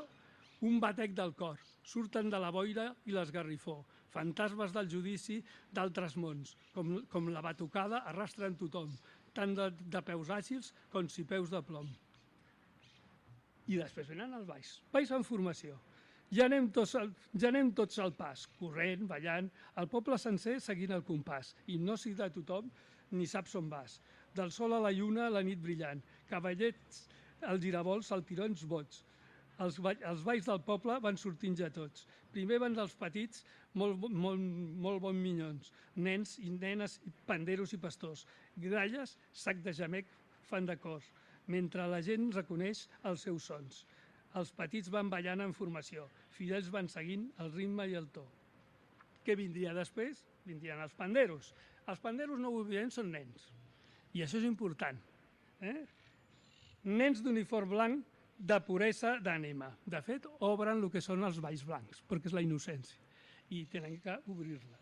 G: un batec del cor. Surten de la boira i l'esgarrifó. Fantasmes del judici d'altres mons. Com la batucada arrastren tothom, tant de peus àgils com si peus de plom. I després venen els balls. Balls en formació. Ja anem tots al pas, corrent, ballant, el poble sencer seguint el compàs. Hipnosi de tothom, ni saps on vas. Del sol a la lluna, la nit brillant. Cavallets, els giravolts, saltirons boig. Els balls del poble van sortint ja tots. Primer van dels petits, molt bons minyons. Nens i nenes, panderos i pastors. Gralles, sac de gemec, fan de cors. Mentre la gent reconeix els seus sons. Els petits van ballant en formació. Fidels van seguint el ritme i el to. Què vindria després? Vindrien els panderos. Els panderos, no ho oblidem, són nens. I això és important. Nens d'uniform blanc de puresa d'ànima. De fet, obren el que són els balls blancs, perquè és la innocència. I tenen que obrir-la.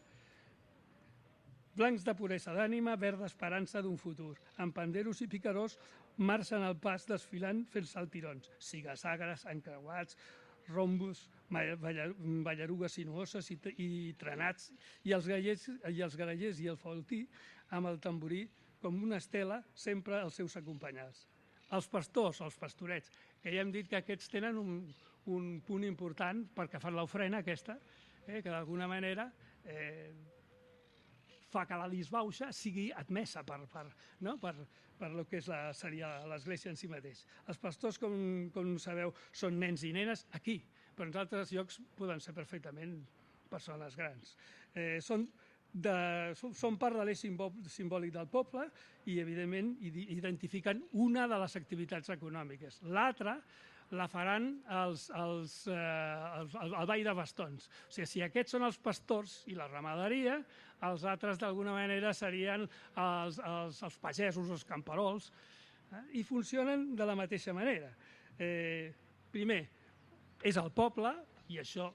G: Blancs de puresa d'ànima, verd d'esperança d'un futur. Amb panderos i picarós marxen al pas desfilant fent saltirons. Sigasagres, encreuats, rombos, ballarugues sinuoses i trenats, i els grallers i el faultí amb el tamborí com una estela sempre els seus acompanyats. Els pastors, els pastorets, que ja hem dit que aquests tenen un punt important perquè fan l'ofrena aquesta, que d'alguna manera fa que la disbauxa sigui admesa per el que seria l'Església en si mateix. Els pastors, com sabeu, són nens i nenes aquí, però en altres llocs poden ser perfectament persones grans. Són part de l'eix simbòlic del poble i, evidentment, identifiquen una de les activitats econòmiques. L'altra la faran al ball de bastons. O sigui, si aquests són els pastors i la ramaderia, els altres d'alguna manera serien els pagesos, els camperols, i funcionen de la mateixa manera. Primer, és el poble, i això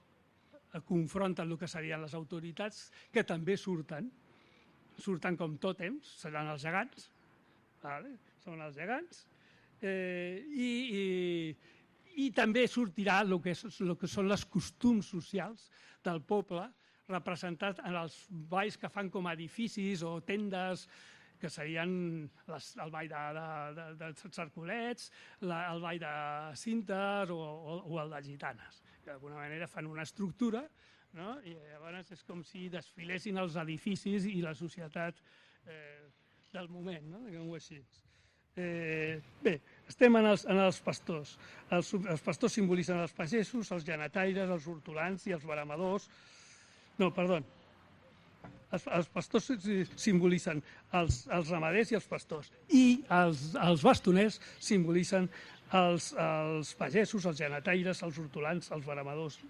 G: confronten el que serien les autoritats, que també surten com tòtems, seran els gegants, són els gegants, i també sortirà el que són els costums socials del poble, representats en els balls que fan com a edificis o tendes, que serien el ball de Cercolets, el ball de cintes o el de gitanes, que d'alguna manera fan una estructura, i llavors és com si desfilessin els edificis i la societat del moment, diguem-ho així. Bé, estem en els pastors. Els pastors simbolitzen els pagesos, els llanetaires, els hortolans i els veremadors. No, perdó. Els pastors simbolitzen els ramaders i els pastors. I els bastoners simbolitzen els pagesos, els llanetaires, els hortolans, els veremadors.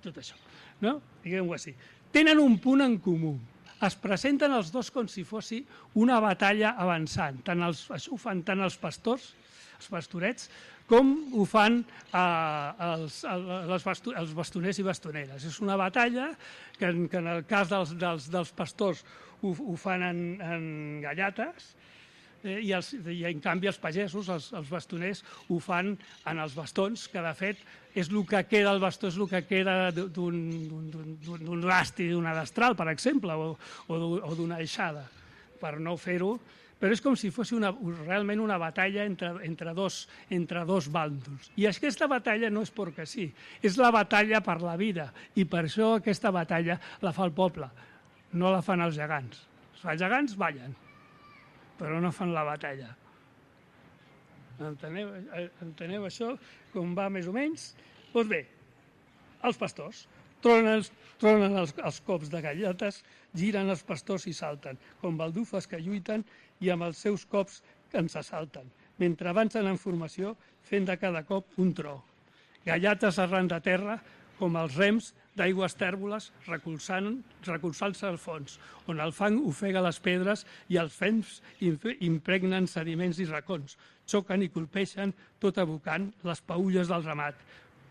G: Tot això, no? Diguem-ho així. Tenen un punt en comú. Es presenten els dos com si fossi una batalla avançant. Això ho fan tant els pastors, els pastorets, com ho fan els bastoners i bastoneres. És una batalla que en el cas dels pastors ho fan en gallates, i en canvi els pagesos, els bastoners, ho fan en els bastons, que de fet és el que queda, el bastó és el que queda d'un basti, d'una destral, per exemple, o d'una eixada, per no fer-ho. Però és com si fos realment una batalla entre dos bàndols. I aquesta batalla no és perquè sí, és la batalla per la vida, i per això aquesta batalla la fa el poble, no la fan els gegants. Els gegants ballen, però no fan la batalla. Enteneu això, com va més o menys? Doncs bé, els pastors tronen els cops de galletes, giren els pastors i salten, com baldufes que lluiten i amb els seus cops ens assalten, mentre avancen en formació fent de cada cop un tro. Galletes arran de terra, com els rems d'aigües tèrboles recolzant-se al fons, on el fang ofega les pedres i els fems impregnen sediments i racons, xoquen i colpeixen, tot abocant les paulles del ramat,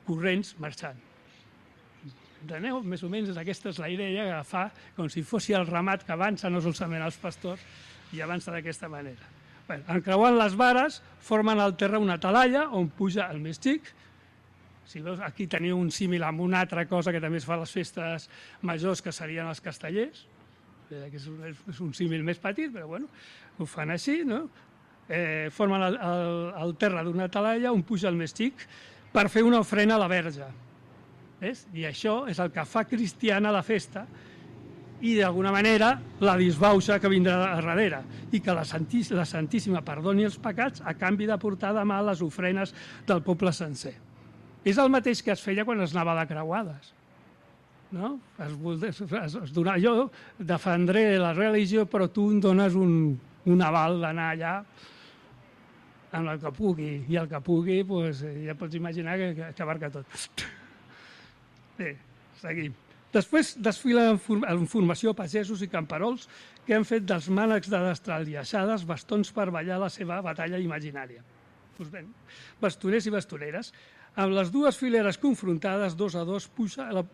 G: corrents marxant. Enteneu? Més o menys aquesta és la idea que fa com si fos el ramat que avança, no solament els pastors, i avança d'aquesta manera. Encreuant les vares, formen al terra una talalla on puja el més xic. Si veus, aquí teniu un símil amb una altra cosa que també es fa a les festes majors, que serien els castellers. És un símil més petit, però bueno, ho fan així, no? Formen el terra d'una talalla on puja el més xic per fer una ofrena a la Verge. I això és el que fa cristiana la festa i d'alguna manera la disbauxa que vindrà a darrere, i que la Santíssima perdoni els pecats a canvi de portar de mà les ofrenes del poble sencer. És el mateix que es feia quan es anava de creuades. No? Jo defendré la religió, però tu em dones un aval d'anar allà amb el que pugui, i el que pugui ja pots imaginar que abarca tot. Bé, seguim. Després desfilen en formació pagesos i camperols que han fet dels mànecs de destral i aixades bastons per ballar la seva batalla imaginària. Doncs bé, bastoners i bastoneres. Amb les dues fileres confrontades, 2 a 2,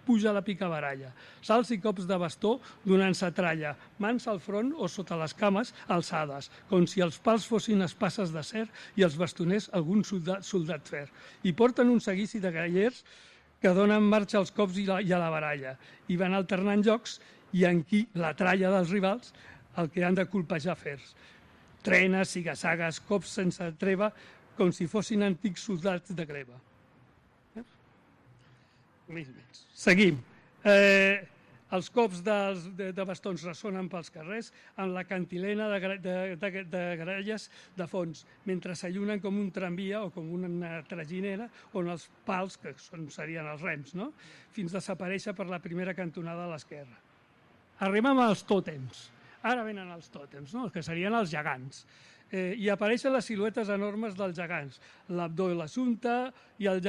G: puja la picabaralla. Salts i cops de bastó donant-se tralla, mans al front o sota les cames alçades, com si els pals fossin espasses d'acer i els bastoners algun soldat fer. I porten un seguici de grallers que donen marxa als cops i a la baralla, i van alternant jocs i en qui la tralla dels rivals el que han de colpejar fers. Trenes, sigassagues, cops sense treva, com si fossin antics soldats de greva. Seguim. Els cops de bastons ressonen pels carrers amb la cantilena de gralles de fons, mentre s'allunen com un tramvia o com una traginera on els pals, que serien els rems, fins a desaparèixer per la primera cantonada a l'esquerra. Arribem als tòtems. Ara venen els tòtems, que serien els gegants. I apareixen les siluetes enormes dels gegants, l'Abdó i l'Assumpta i el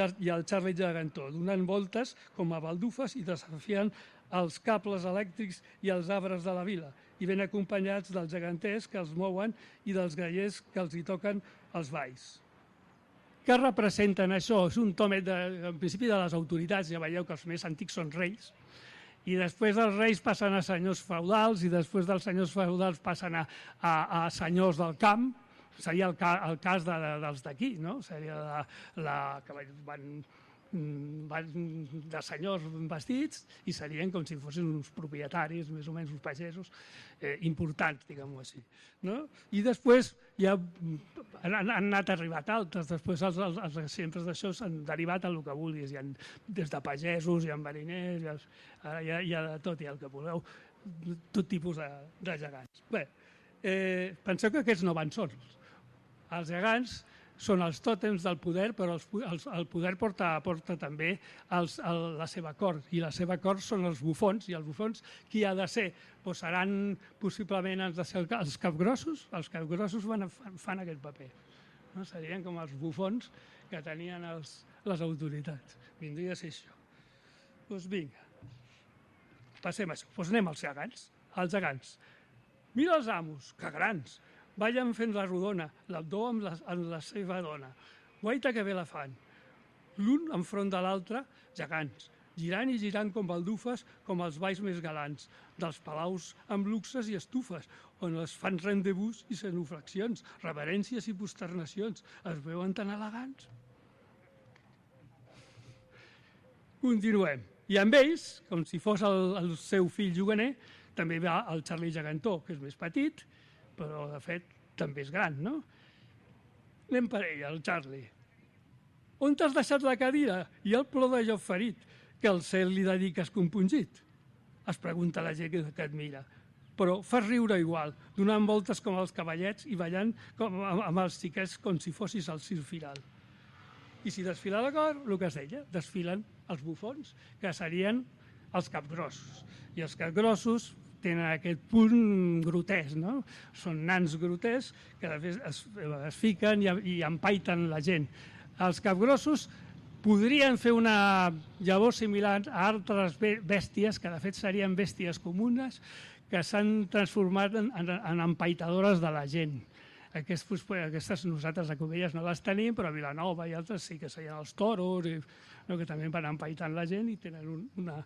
G: Charlie Gegantó, donant voltes com a baldufes i desafiant els cables elèctrics i els arbres de la vila, i ben acompanyats dels geganters que els mouen i dels grallers que els hi toquen els balls. Què representen això? És un tòmet, en principi, de les autoritats. Ja veieu que els més antics són reis, i després dels reis passen a senyors feudals, i després dels senyors feudals passen a senyors del camp. Seria el cas dels d'aquí, no? Seria que van de senyors vestits i serien com si fossin uns propietaris, més o menys uns pagesos importants, diguem-ho així. I després ja han anat arribat altres, després els exemples d'això s'han derivat en el que vulguis, des de pagesos, hi ha mariners, hi ha de tot, hi ha el que vulgueu, tot tipus de gegants. Bé, penseu que aquests no van sols. Els gegants són els tòtems del poder, però el poder porta també la seva cort, i la seva cort són els bufons, i els bufons qui ha de ser? Seran possiblement els capgrossos. Els capgrossos fan aquest paper. Serien com els bufons que tenien les autoritats. Vindria a ser això. Doncs vinga, passem a això. Doncs anem als gegants. Els gegants. Mira els amos, que grans! Ballen fent la rodona, l'Abdó amb la seva dona. Guaita que bé la fan. L'un enfront de l'altre, gegants, girant i girant com baldufes, com els balls més galants, dels palaus amb luxes i estufes, on es fan rendezvous i cenoflexions, reverències i posternacions. Es veuen tan elegants. Continuem. I amb ells, com si fos el seu fill juganer, també va el Charlie Gegantó, que és més petit, però de fet també és gran, no? Anem per ell, el Charlie. On t'has deixat la cadira i el plor de Job ferit, que al cel li dediques compungit? Es pregunta la gent que et mira. Però fas riure igual, donant voltes com els cavallets i ballant amb els xiquets com si fossis el circ firal. I si desfila la cor, el que es deia, desfilen els bufons, que serien els capgrossos. I els capgrossos tenen aquest punt grotesc, no? Són nans grotescs que es fiquen i empaiten la gent. Els capgrossos podrien fer una llavor similar a altres bèsties, que de fet serien bèsties comunes, que s'han transformat en empaitadores de la gent. Aquestes nosaltres a Cubelles no les tenim, però a Vilanova i altres sí que serien els toros, que també van empaitant la gent i tenen una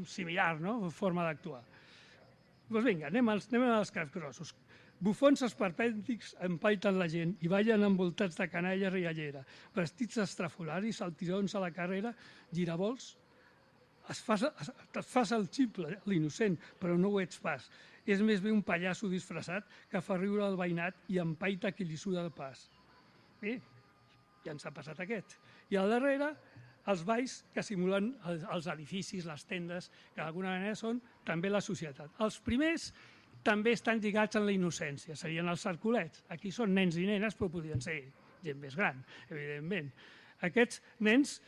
G: similar forma d'actuar. Doncs vinga, anem als capgrossos. Bufons esperpèntics empaiten la gent i ballen envoltats de canalla riallera, vestits estrafolaris, saltirons a la carrera, giravolts. Et fas el ximple, l'innocent, però no ho ets pas. És més bé un pallasso disfressat que fa riure el veïnat i empaita qui li suda el pas. Bé, ja ens ha passat aquest. I al darrere, els balls que simulen els edificis, les tendes, que d'alguna manera són també la societat. Els primers també estan lligats en la innocència, serien els cercolets. Aquí són nens i nenes, però podrien ser gent més gran, evidentment. Aquests nens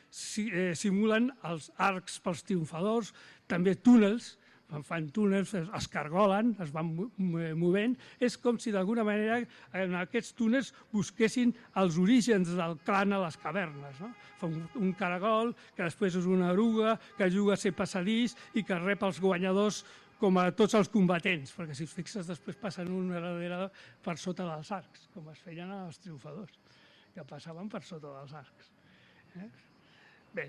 G: simulen els arcs pels triomfadors, també túnels fan túnels, es cargolen, es van movent. És com si d'alguna manera en aquests túnels busquessin els orígens del clan a les cavernes. No? Fa un caragol, que després és una eruga, que juga a ser passadís i que rep els guanyadors com a tots els combatents, perquè si us fixes després passen un darrere per sota dels arcs, com es feien els triomfadors, que passaven per sota dels arcs. Bé,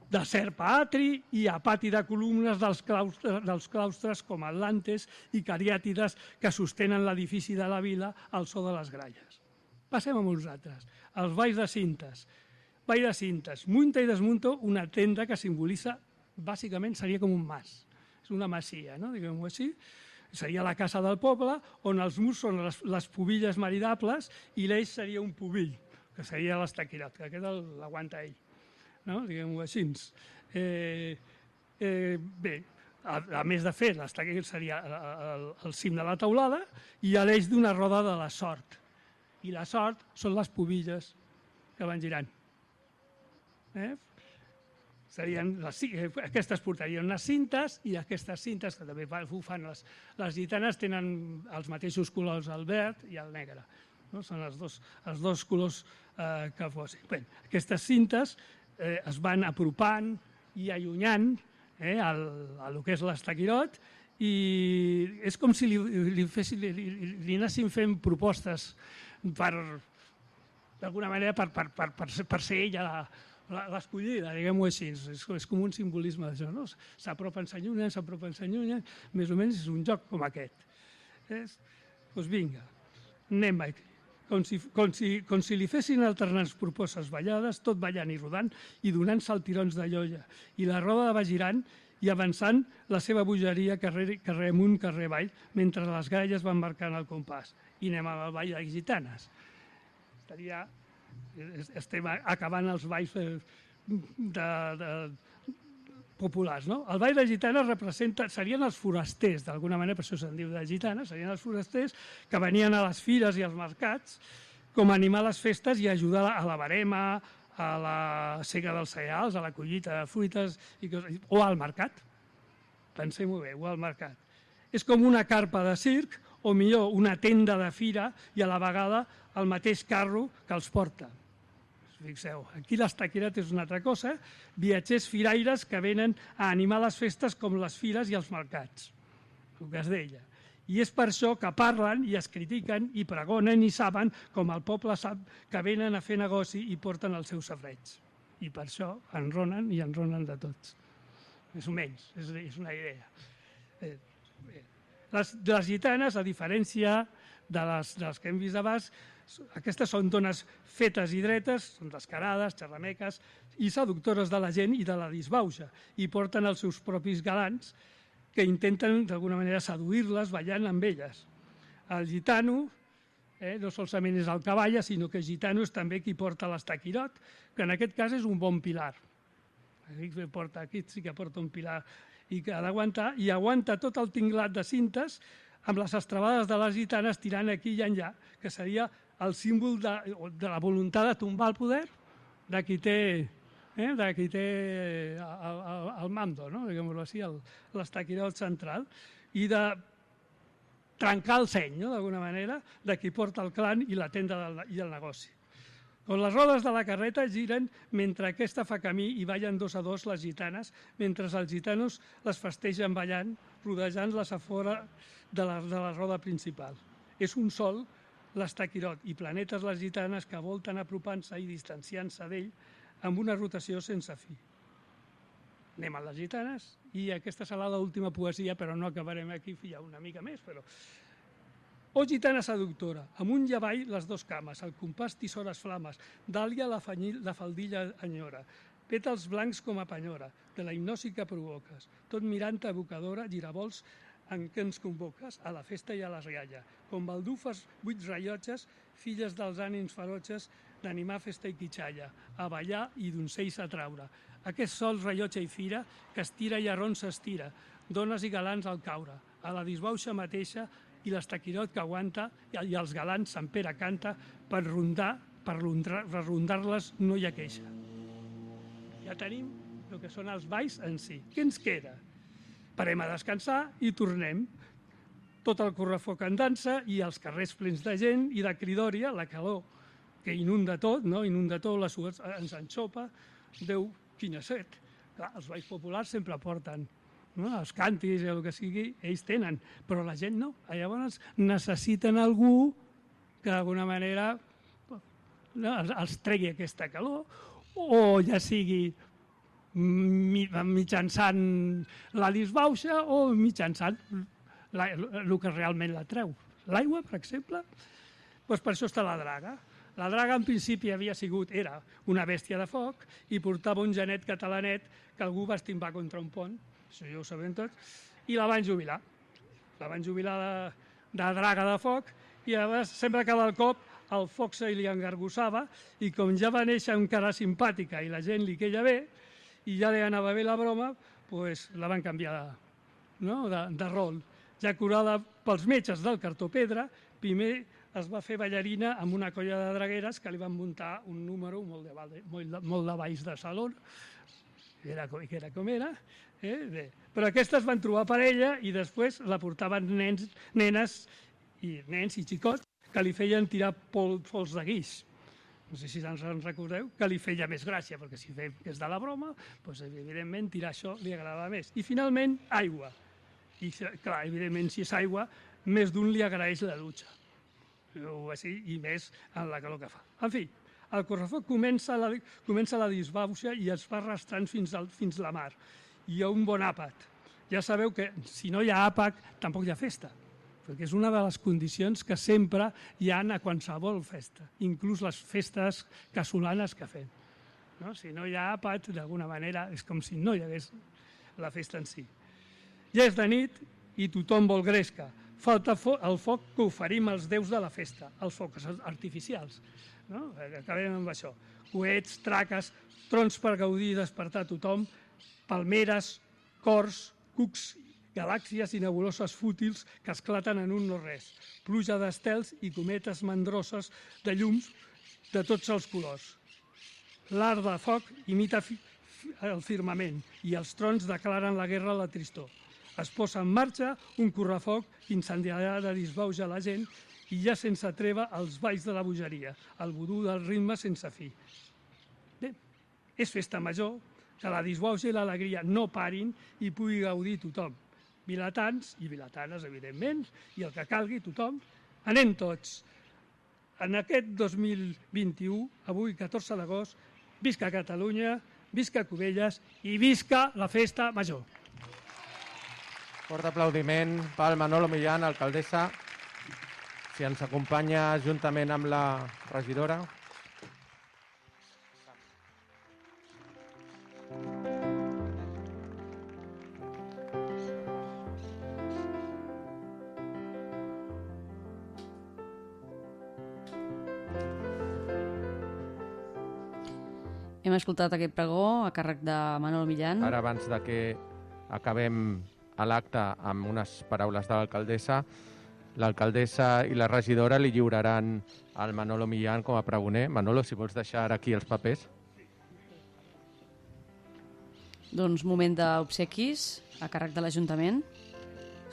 G: de serpa-atri i a pati de columnes dels claustres com Atlantes i Cariàtides que sostenen l'edifici de la vila al so de les gralles. Passem a uns altres. Els balls de cintes. Ball de cintes. Munta i desmunta una tenda que simbolitza, bàsicament seria com un mas. És una masia, no? Diguem-ho així. Seria la casa del poble, on els murs són les pubilles maridables i l'eix seria un pubill, que seria l'estaquirat, que aquest l'aguanta ell. No? Diguem-ho així. Bé, a més de fer, l'estaquirat seria el cim de la teulada i l'eix d'una roda de la sort. I la sort són les pubilles que van girant. Aquestes portarien unes cintes i aquestes cintes, que també ho fan les gitanes, tenen els mateixos colors, el verd i el negre. No? Són els dos colors que fossin. Bé, aquestes cintes es van apropant i allunyant el que és l'estaquirot i és com si li anessin fent propostes d'alguna manera per ser ella l'escollida, diguem-ho així. És com un simbolisme d'això, no? S'apropen, s'allunyen, més o menys és un joc com aquest. Doncs vinga, anem aquí. Com si li fessin alternants propostes ballades, tot ballant i rodant i donant saltirons de llolla. I la roda va girant i avançant la seva bogeria carrer amunt, carrer avall, mentre les gralles van marcant el compàs. I anem al ball de gitanes. Estem acabant els balls populars, no? El ball de gitanes serien els forasters, d'alguna manera, per això se'n diu de gitanes, serien els forasters que venien a les fires i als mercats com a animar les festes i ajudar a la verema, a la sega dels cereals, a la collita de fruites o al mercat. Pensem-ho bé, o al mercat. És com una carpa de circ o millor una tenda de fira i a la vegada el mateix carro que els porta. Fixeu, aquí l'estaquirat és una altra cosa, viatgers firaires que venen a animar les festes com les fires i els mercats, el que es deia. I és per això que parlen i es critiquen i pregonen i saben com el poble sap que venen a fer negoci i porten els seus safareig. I per això enronen i enronen de tots. Més o menys, és una idea. Les gitanes, a diferència de les que hem vist abans, aquestes són dones fetes i dretes, són descarades, xerrameques i seductores de la gent i de la disbauxa, i porten els seus propis galants que intenten d'alguna manera seduir-les ballant amb elles. El gitano no solament és el cavalla, sinó que el gitano és també qui porta l'estaquirot, que en aquest cas és un bon pilar. Aquí sí que porta un pilar i que ha d'aguantar, i aguanta tot el tinglat de cintes amb les estrabades de les gitanes tirant aquí i enllà, que seria el símbol de la voluntat de tombar el poder de qui té el mando, no? Diguem-ho així, l'estaquirot central, i de trencar el seny, d'alguna manera, de qui porta el clan i la tenda i el negoci. Les rodes de la carreta giren mentre aquesta fa camí i ballen dos a dos les gitanes, mentre els gitanos les festegen ballant, rodejant-les a fora de la roda principal. És un sol l'estaquirot i planetes les gitanes que volten apropant-se i distanciant-se d'ell amb una rotació sense fi. Anem a les gitanes i aquesta serà l'última poesia, però no acabarem aquí, hi ha una mica més, però... Oh, gitana seductora, amunt i avall les dos cames, el compàs tisores flames, dàlia la faldilla enyora, pètals blancs com a penyora, de la hipnosi que provoques, tot mirant evocadora, giravolts en què ens convoques, a la festa i a l'esgalla, com baldufes 8 rellotges, filles dels ànims ferotges, d'animar festa i quitxalla, a ballar i d'oncells a traure. Aquest sol rellotge i fira, que estira i arron s'estira, dones i galants al caure, a la disbauxa mateixa, i l'estaquirot que aguanta i els galants Sant Pere canta per rondar-les no hi ha queixa. Ja tenim el que són els balls en si. Què ens queda? parem a descansar i tornem. Tot el correfoc en dansa i els carrers plens de gent i de cridòria, la calor que inunda tot, no? Inunda tot, la suor ens enxopa. Déu, quina set. Clar, els balls populars sempre porten, no? Els càntics i el que sigui, ells tenen, però la gent no. Llavors necessiten algú que d'alguna manera els tregui aquesta calor, o ja sigui mitjançant la disbauxa o mitjançant el que realment la treu. L'aigua, per exemple, doncs per això està la draga. La draga en principi era una bèstia de foc i portava un genet catalanet que algú va estimbar contra un pont, això ja ho sabem tots, i la van jubilar. La van jubilar de draga de foc i llavors sempre cada cop el foc se li engargussava i com ja va néixer encara simpàtica i la gent li queia bé i ja li anava bé la broma, doncs la van canviar de rol. Ja curada pels metges del cartó-pedra, primer es va fer ballarina amb una colla de dragueres que li van muntar un número molt de balls de saló, que era com era, però aquestes van trobar parella i després la portaven nens i xicots que li feien tirar pols de guix. No sé si ens recordeu, que li feia més gràcia, perquè si és de la broma, doncs evidentment tirar això li agradava més. I finalment, aigua. I clar, evidentment, si és aigua, més d'un li agraeix la dutxa. I més en la calor que fa. En fi, el correfoc comença la disbauxa i es va arrastrant fins la mar. Hi ha un bon àpat. Ja sabeu que si no hi ha àpat, tampoc hi ha festa, perquè és una de les condicions que sempre hi ha a qualsevol festa, inclús les festes casolanes que fem. Si no hi ha àpat, d'alguna manera, és com si no hi hagués la festa en si. Ja és de nit i tothom vol gresca. Falta el foc que oferim als déus de la festa, els focs artificials. Acabem amb això. Coets, traques, trons per gaudir i despertar tothom, palmeres, cors, cucs, galàxies i nebuloses fútils que esclaten en un no-res, pluja d'estels i cometes mandroses de llums de tots els colors. L'art de foc imita el firmament i els trons declaren la guerra a la tristor. Es posa en marxa un correfoc que incendiarà de disbauja la gent i ja sense treva els balls de la bogeria, el vudú del ritme sense fi. Bé, és festa major, que la disbauxa i l'alegria no parin i pugui gaudir tothom. Vilatans i vilatanes, evidentment, i el que calgui tothom, anem tots. En aquest 2021, avui 14 d'agost, visca Catalunya, visca Cubelles i visca la festa major.
C: Fort aplaudiment pel Manolo Millán, alcaldessa. Si ens acompanya juntament amb la regidora.
A: Hem escoltat aquest pregó a càrrec de Manolo Millán.
C: Ara, abans de que acabem a l'acte amb unes paraules de l'alcaldessa, l'alcaldessa i la regidora li lliuraran al Manolo Millán com a pregoner. Manolo, si vols deixar aquí els papers.
A: Doncs moment d'obsequis a càrrec de l'Ajuntament.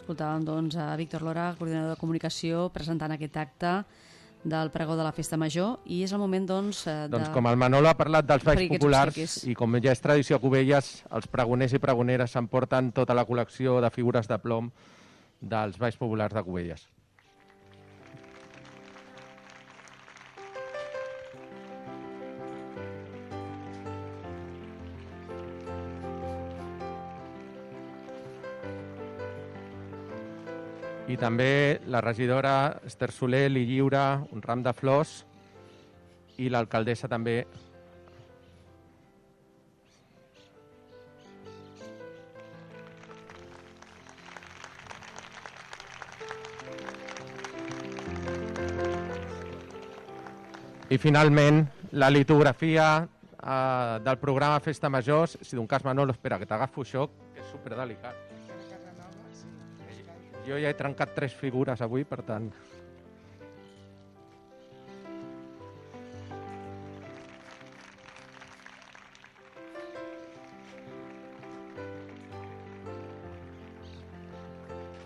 A: Escoltàvem doncs a Víctor Lora, coordinador de comunicació, presentant aquest acte del pregó de la Festa Major, i és el moment doncs
C: Doncs com el Manolo ha parlat dels balls populars i com ja és tradició a Cubelles, els pregoners i pregoneres s'emporten tota la col·lecció de figures de plom dels balls populars de Cubelles. I també la regidora Esther Soler li lliura un ram de flors i l'alcaldessa també. I finalment la litografia del programa Festa Major. Si d'un cas, Manolo, espera, que t'agafo això, que és superdelicat. Jo ja he trencat 3 figures avui, per tant.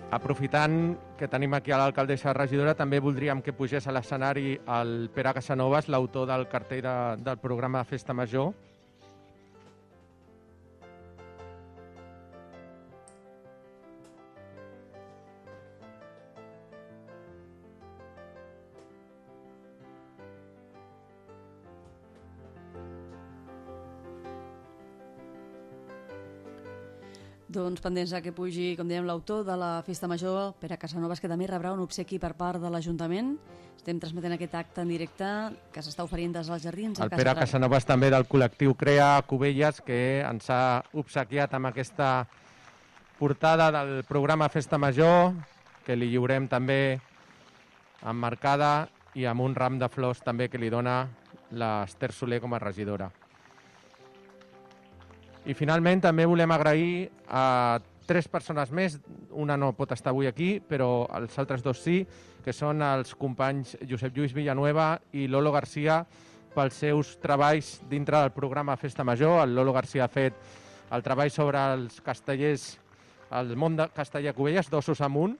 C: Aprofitant que tenim aquí a l'alcaldessa regidora, també voldríem que pugés a l'escenari el Pere Casanovas, l'autor del cartell del programa de Festa Major.
A: Doncs pendents que pugi, com dèiem, l'autor de la Festa Major, Pere Casanovas, que també rebrà un obsequi per part de l'Ajuntament. Estem transmetent aquest acte en directe que s'està oferint des dels jardins.
C: El Pere Casanovas també del col·lectiu Crea Cubelles, que ens ha obsequiat amb aquesta portada del programa Festa Major, que li lliurem també emmarcada i amb un ram de flors també que li dona l'Ester Soler com a regidora. I finalment també volem agrair a 3 persones més, una no pot estar avui aquí, però els altres 2 sí, que són els companys Josep Lluís Villanueva i Lolo Garcia pels seus treballs dintre del programa Festa Major. El Lolo Garcia ha fet el treball sobre els castellers, el món de casteller a Cubelles, d'Ossos amunt,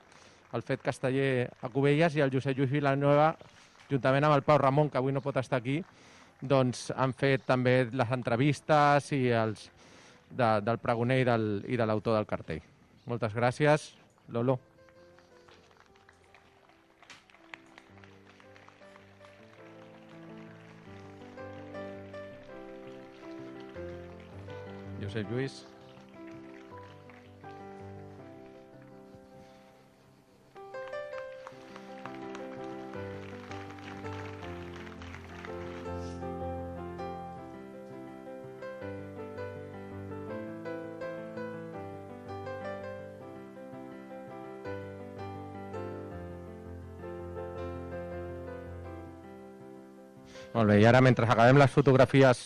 C: el fet casteller a Cubelles, i el Josep Lluís Villanueva, juntament amb el Pau Ramon, que avui no pot estar aquí, doncs han fet també les entrevistes i els del pregoner i de l'autor del cartell. Moltes gràcies, Lolo. Josep Lluís. Molt bé, i ara mentre acabem les fotografies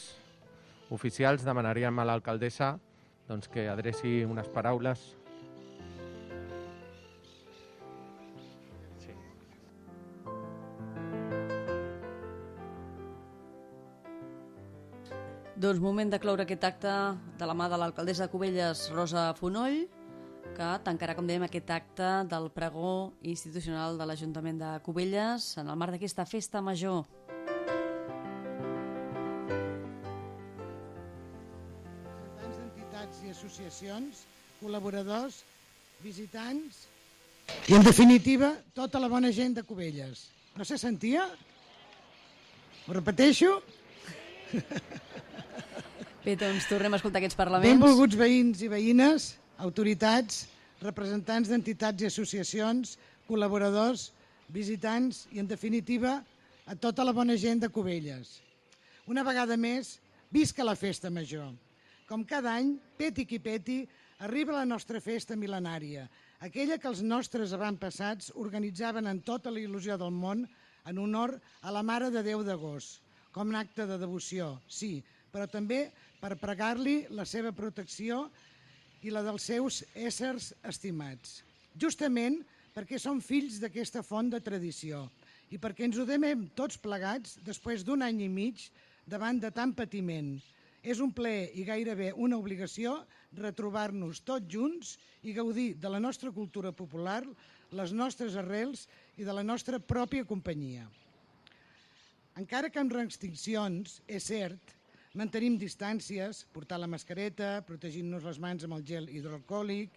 C: oficials demanaríem a l'alcaldessa doncs, que adreci unes paraules. Sí.
A: Doncs moment de cloure aquest acte de la mà de l'alcaldessa de Cubelles, Rosa Fonoll, que tancarà, com dèiem, aquest acte del pregó institucional de l'Ajuntament de Cubelles en el marc d'aquesta Festa Major.
F: I associacions, col·laboradors, visitants i, en definitiva, tota la bona gent de Cubelles. No se sentia? Ho repeteixo?
A: Bé, doncs tornem a escoltar aquests parlaments.
F: Benvolguts veïns i veïnes, autoritats, representants d'entitats i associacions, col·laboradors, visitants i, en definitiva, a tota la bona gent de Cubelles. Una vegada més, visca la Festa Major. Com cada any, peti qui peti, arriba la nostra festa mil·lenària, aquella que els nostres avantpassats organitzaven amb tota la il·lusió del món en honor a la Mare de Déu d'Agost, com un acte de devoció, sí, però també per pregar-li la seva protecció i la dels seus éssers estimats. Justament perquè som fills d'aquesta font de tradició i perquè ens ho demem tots plegats després d'un any i mig davant de tant patiment. És un plaer i gairebé una obligació retrobar-nos tots junts i gaudir de la nostra cultura popular, les nostres arrels i de la nostra pròpia companyia. Encara que amb restriccions, és cert, mantenim distàncies, portar la mascareta, protegint-nos les mans amb el gel hidroalcohòlic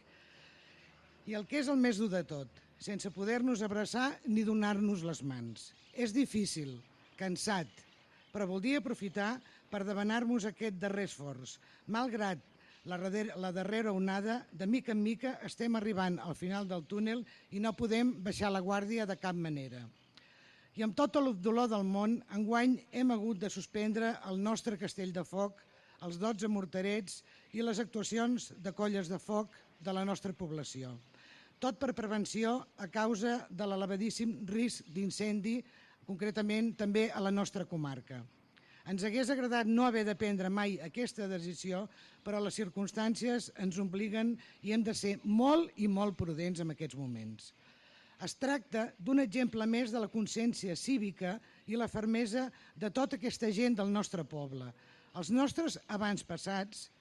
F: i el que és el més dur de tot, sense poder-nos abraçar ni donar-nos les mans. És difícil, cansat, però voldria aprofitar per demanar-nos aquest darrer esforç. Malgrat la darrera onada, de mica en mica estem arribant al final del túnel i no podem baixar la guàrdia de cap manera. I amb tot el dolor del món, enguany hem hagut de suspendre el nostre castell de foc, els 12 morterets i les actuacions de colles de foc de la nostra població. Tot per prevenció a causa de l'elevadíssim risc d'incendi, concretament també a la nostra comarca. Ens hagués agradat no haver de prendre mai aquesta decisió, però les circumstàncies ens obliguen i hem de ser molt i molt prudents en aquests moments. Es tracta d'un exemple més de la consciència cívica i la fermesa de tota aquesta gent del nostre poble. Els nostres avantpassats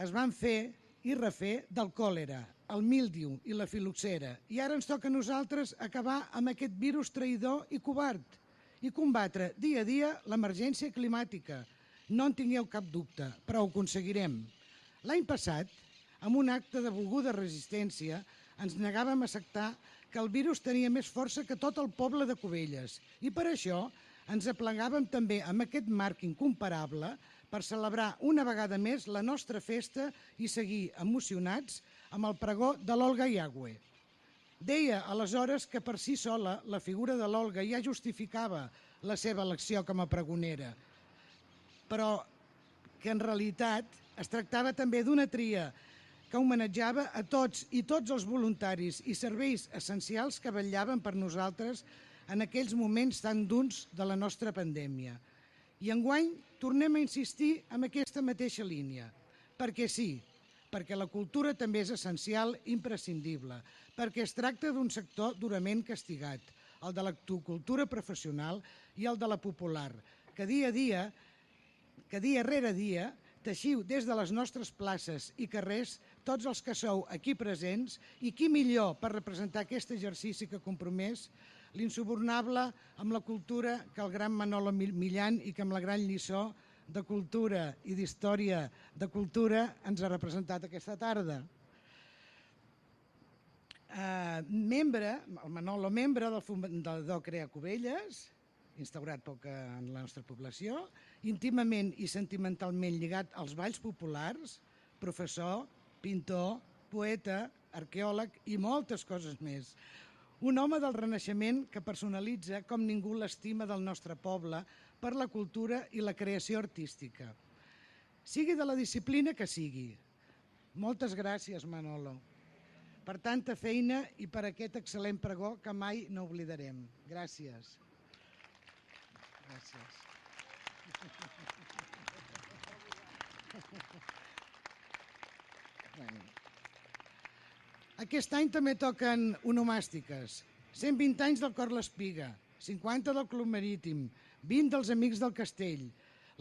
F: es van fer i refer del còlera, el míldiu i la filoxera. I ara ens toca a nosaltres acabar amb aquest virus traïdor i covard i combatre dia a dia l'emergència climàtica. No en tingueu cap dubte, però ho aconseguirem. L'any passat, amb un acte de volguda resistència, ens negàvem a acceptar que el virus tenia més força que tot el poble de Cubelles i per això ens aplegàvem també amb aquest marc incomparable per celebrar una vegada més la nostra festa i seguir emocionats amb el pregó de l'Olga Iagüe. Deia aleshores que per si sola la figura de l'Olga ja justificava la seva elecció com a pregonera, però que en realitat es tractava també d'una tria que homenatjava a tots i tots els voluntaris i serveis essencials que vetllaven per nosaltres en aquells moments tan durs de la nostra pandèmia. I enguany tornem a insistir en aquesta mateixa línia, perquè sí, perquè la cultura també és essencial i imprescindible, perquè es tracta d'un sector durament castigat, el de l'actocultura professional i el de la popular, que dia rere dia teixiu des de les nostres places i carrers tots els que sou aquí presents i qui millor per representar aquest exercici que compromès l'insubornable amb la cultura que el gran Manolo Millán i que amb la gran lliçó de cultura i d'història de cultura ens ha representat aquesta tarda. El Manolo, membre del DOCREA Cubelles, instaurat poc en la nostra població, íntimament i sentimentalment lligat als balls populars, professor, pintor, poeta, arqueòleg i moltes coses més. Un home del Renaixement que personalitza com ningú l'estima del nostre poble per la cultura i la creació artística. Sigui de la disciplina que sigui. Moltes gràcies, Manolo, per tanta feina i per aquest excel·lent pregó que mai no oblidarem. Gràcies. Gràcies. Aquest any també toquen onomàstiques. 120 anys del Cor l'Espiga, 50 del Club Marítim, 20 dels Amics del Castell.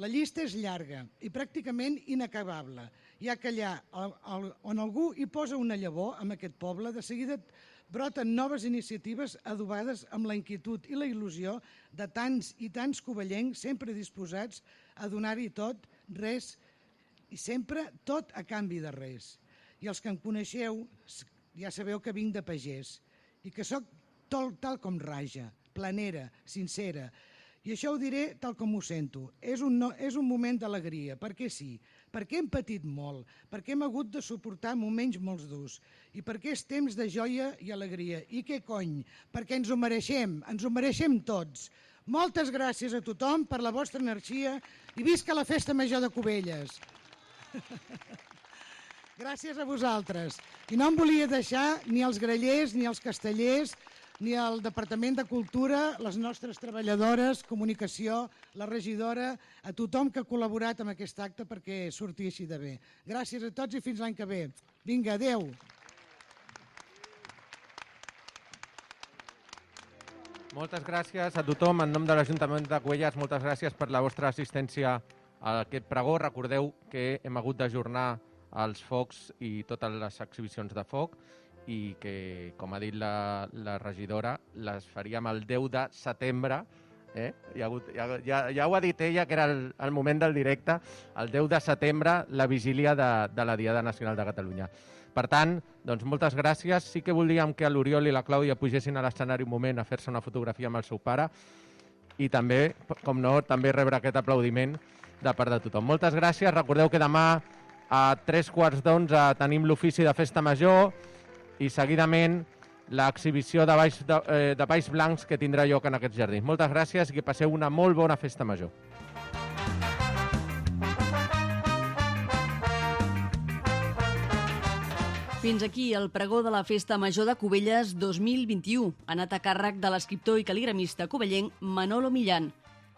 F: La llista és llarga i pràcticament inacabable, ja que allà on algú hi posa una llavor, en aquest poble, de seguida broten noves iniciatives adobades amb la inquietud i la il·lusió de tants i tants covellencs sempre disposats a donar-hi tot, res, i sempre tot a canvi de res. I els que em coneixeu ja sabeu que vinc de pagès i que sóc tal com raja, planera, sincera. I això ho diré tal com ho sento. És un moment d'alegria, perquè sí, perquè hem patit molt, perquè hem hagut de suportar moments molt durs i perquè és temps de joia i alegria. I què cony? Perquè ens ho mereixem tots. Moltes gràcies a tothom per la vostra energia i visca la Festa Major de Cubelles. Gràcies a vosaltres. I no em volia deixar ni els grallers, ni els castellers, ni el Departament de Cultura, les nostres treballadores, comunicació, la regidora, a tothom que ha col·laborat amb aquest acte perquè surti així de bé. Gràcies a tots i fins l'any que ve. Vinga, adeu.
C: Moltes gràcies a tothom. En nom de l'Ajuntament de Cubelles, moltes gràcies per la vostra assistència a aquest pregó. Recordeu que hem hagut d'ajornar els focs i totes les exhibicions de foc i que, com ha dit la regidora, les faríem el 10 de setembre. Ja ho ha dit ella, que era el moment del directe, el 10 de setembre, la vigília de la Diada Nacional de Catalunya. Per tant, doncs moltes gràcies. Sí que voldríem que l'Oriol i la Clàudia pugessin a l'escenari un moment a fer-se una fotografia amb el seu pare i també, com no, també rebre aquest aplaudiment de part de tothom. Moltes gràcies. Recordeu que demà a 3:15 tenim l'ofici de Festa Major i seguidament l'exhibició de balls blancs que tindrà lloc en aquests jardins. Moltes gràcies i que passeu una molt bona Festa Major.
A: Fins aquí el pregó de la Festa Major de Cubelles 2021, anat a càrrec de l'escriptor i cal·ligramista covellenc Manolo Millán.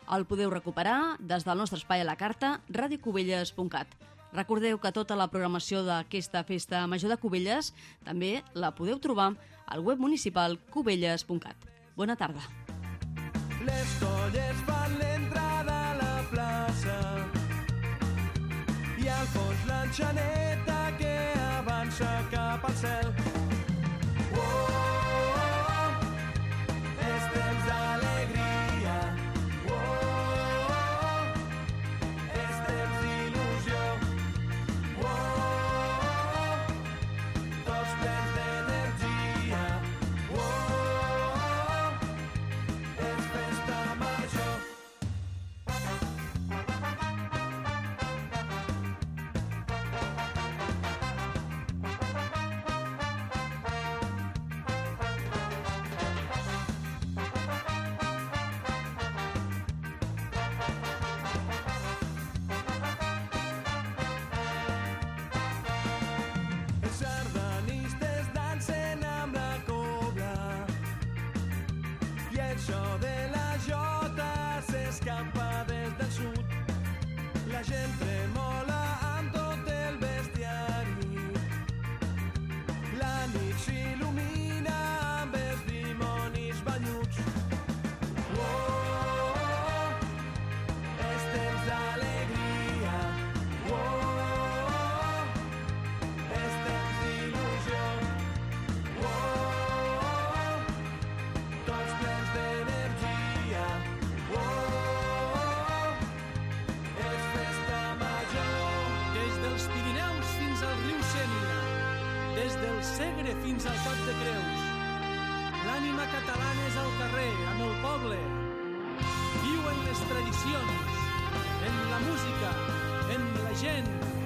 A: El podeu recuperar des del nostre espai a la carta radiocubelles.cat. Recordeu que tota la programació d'aquesta Festa Major de Cubelles també la podeu trobar al web municipal cubelles.cat. Bona tarda.
B: Les colles fan l'entrada a la plaça i al fons l'enxaneta que
H: del Segre fins al Cap de Creus. L'ànima catalana és al carrer, amb el poble. Viu en les tradicions, en la música, en la gent.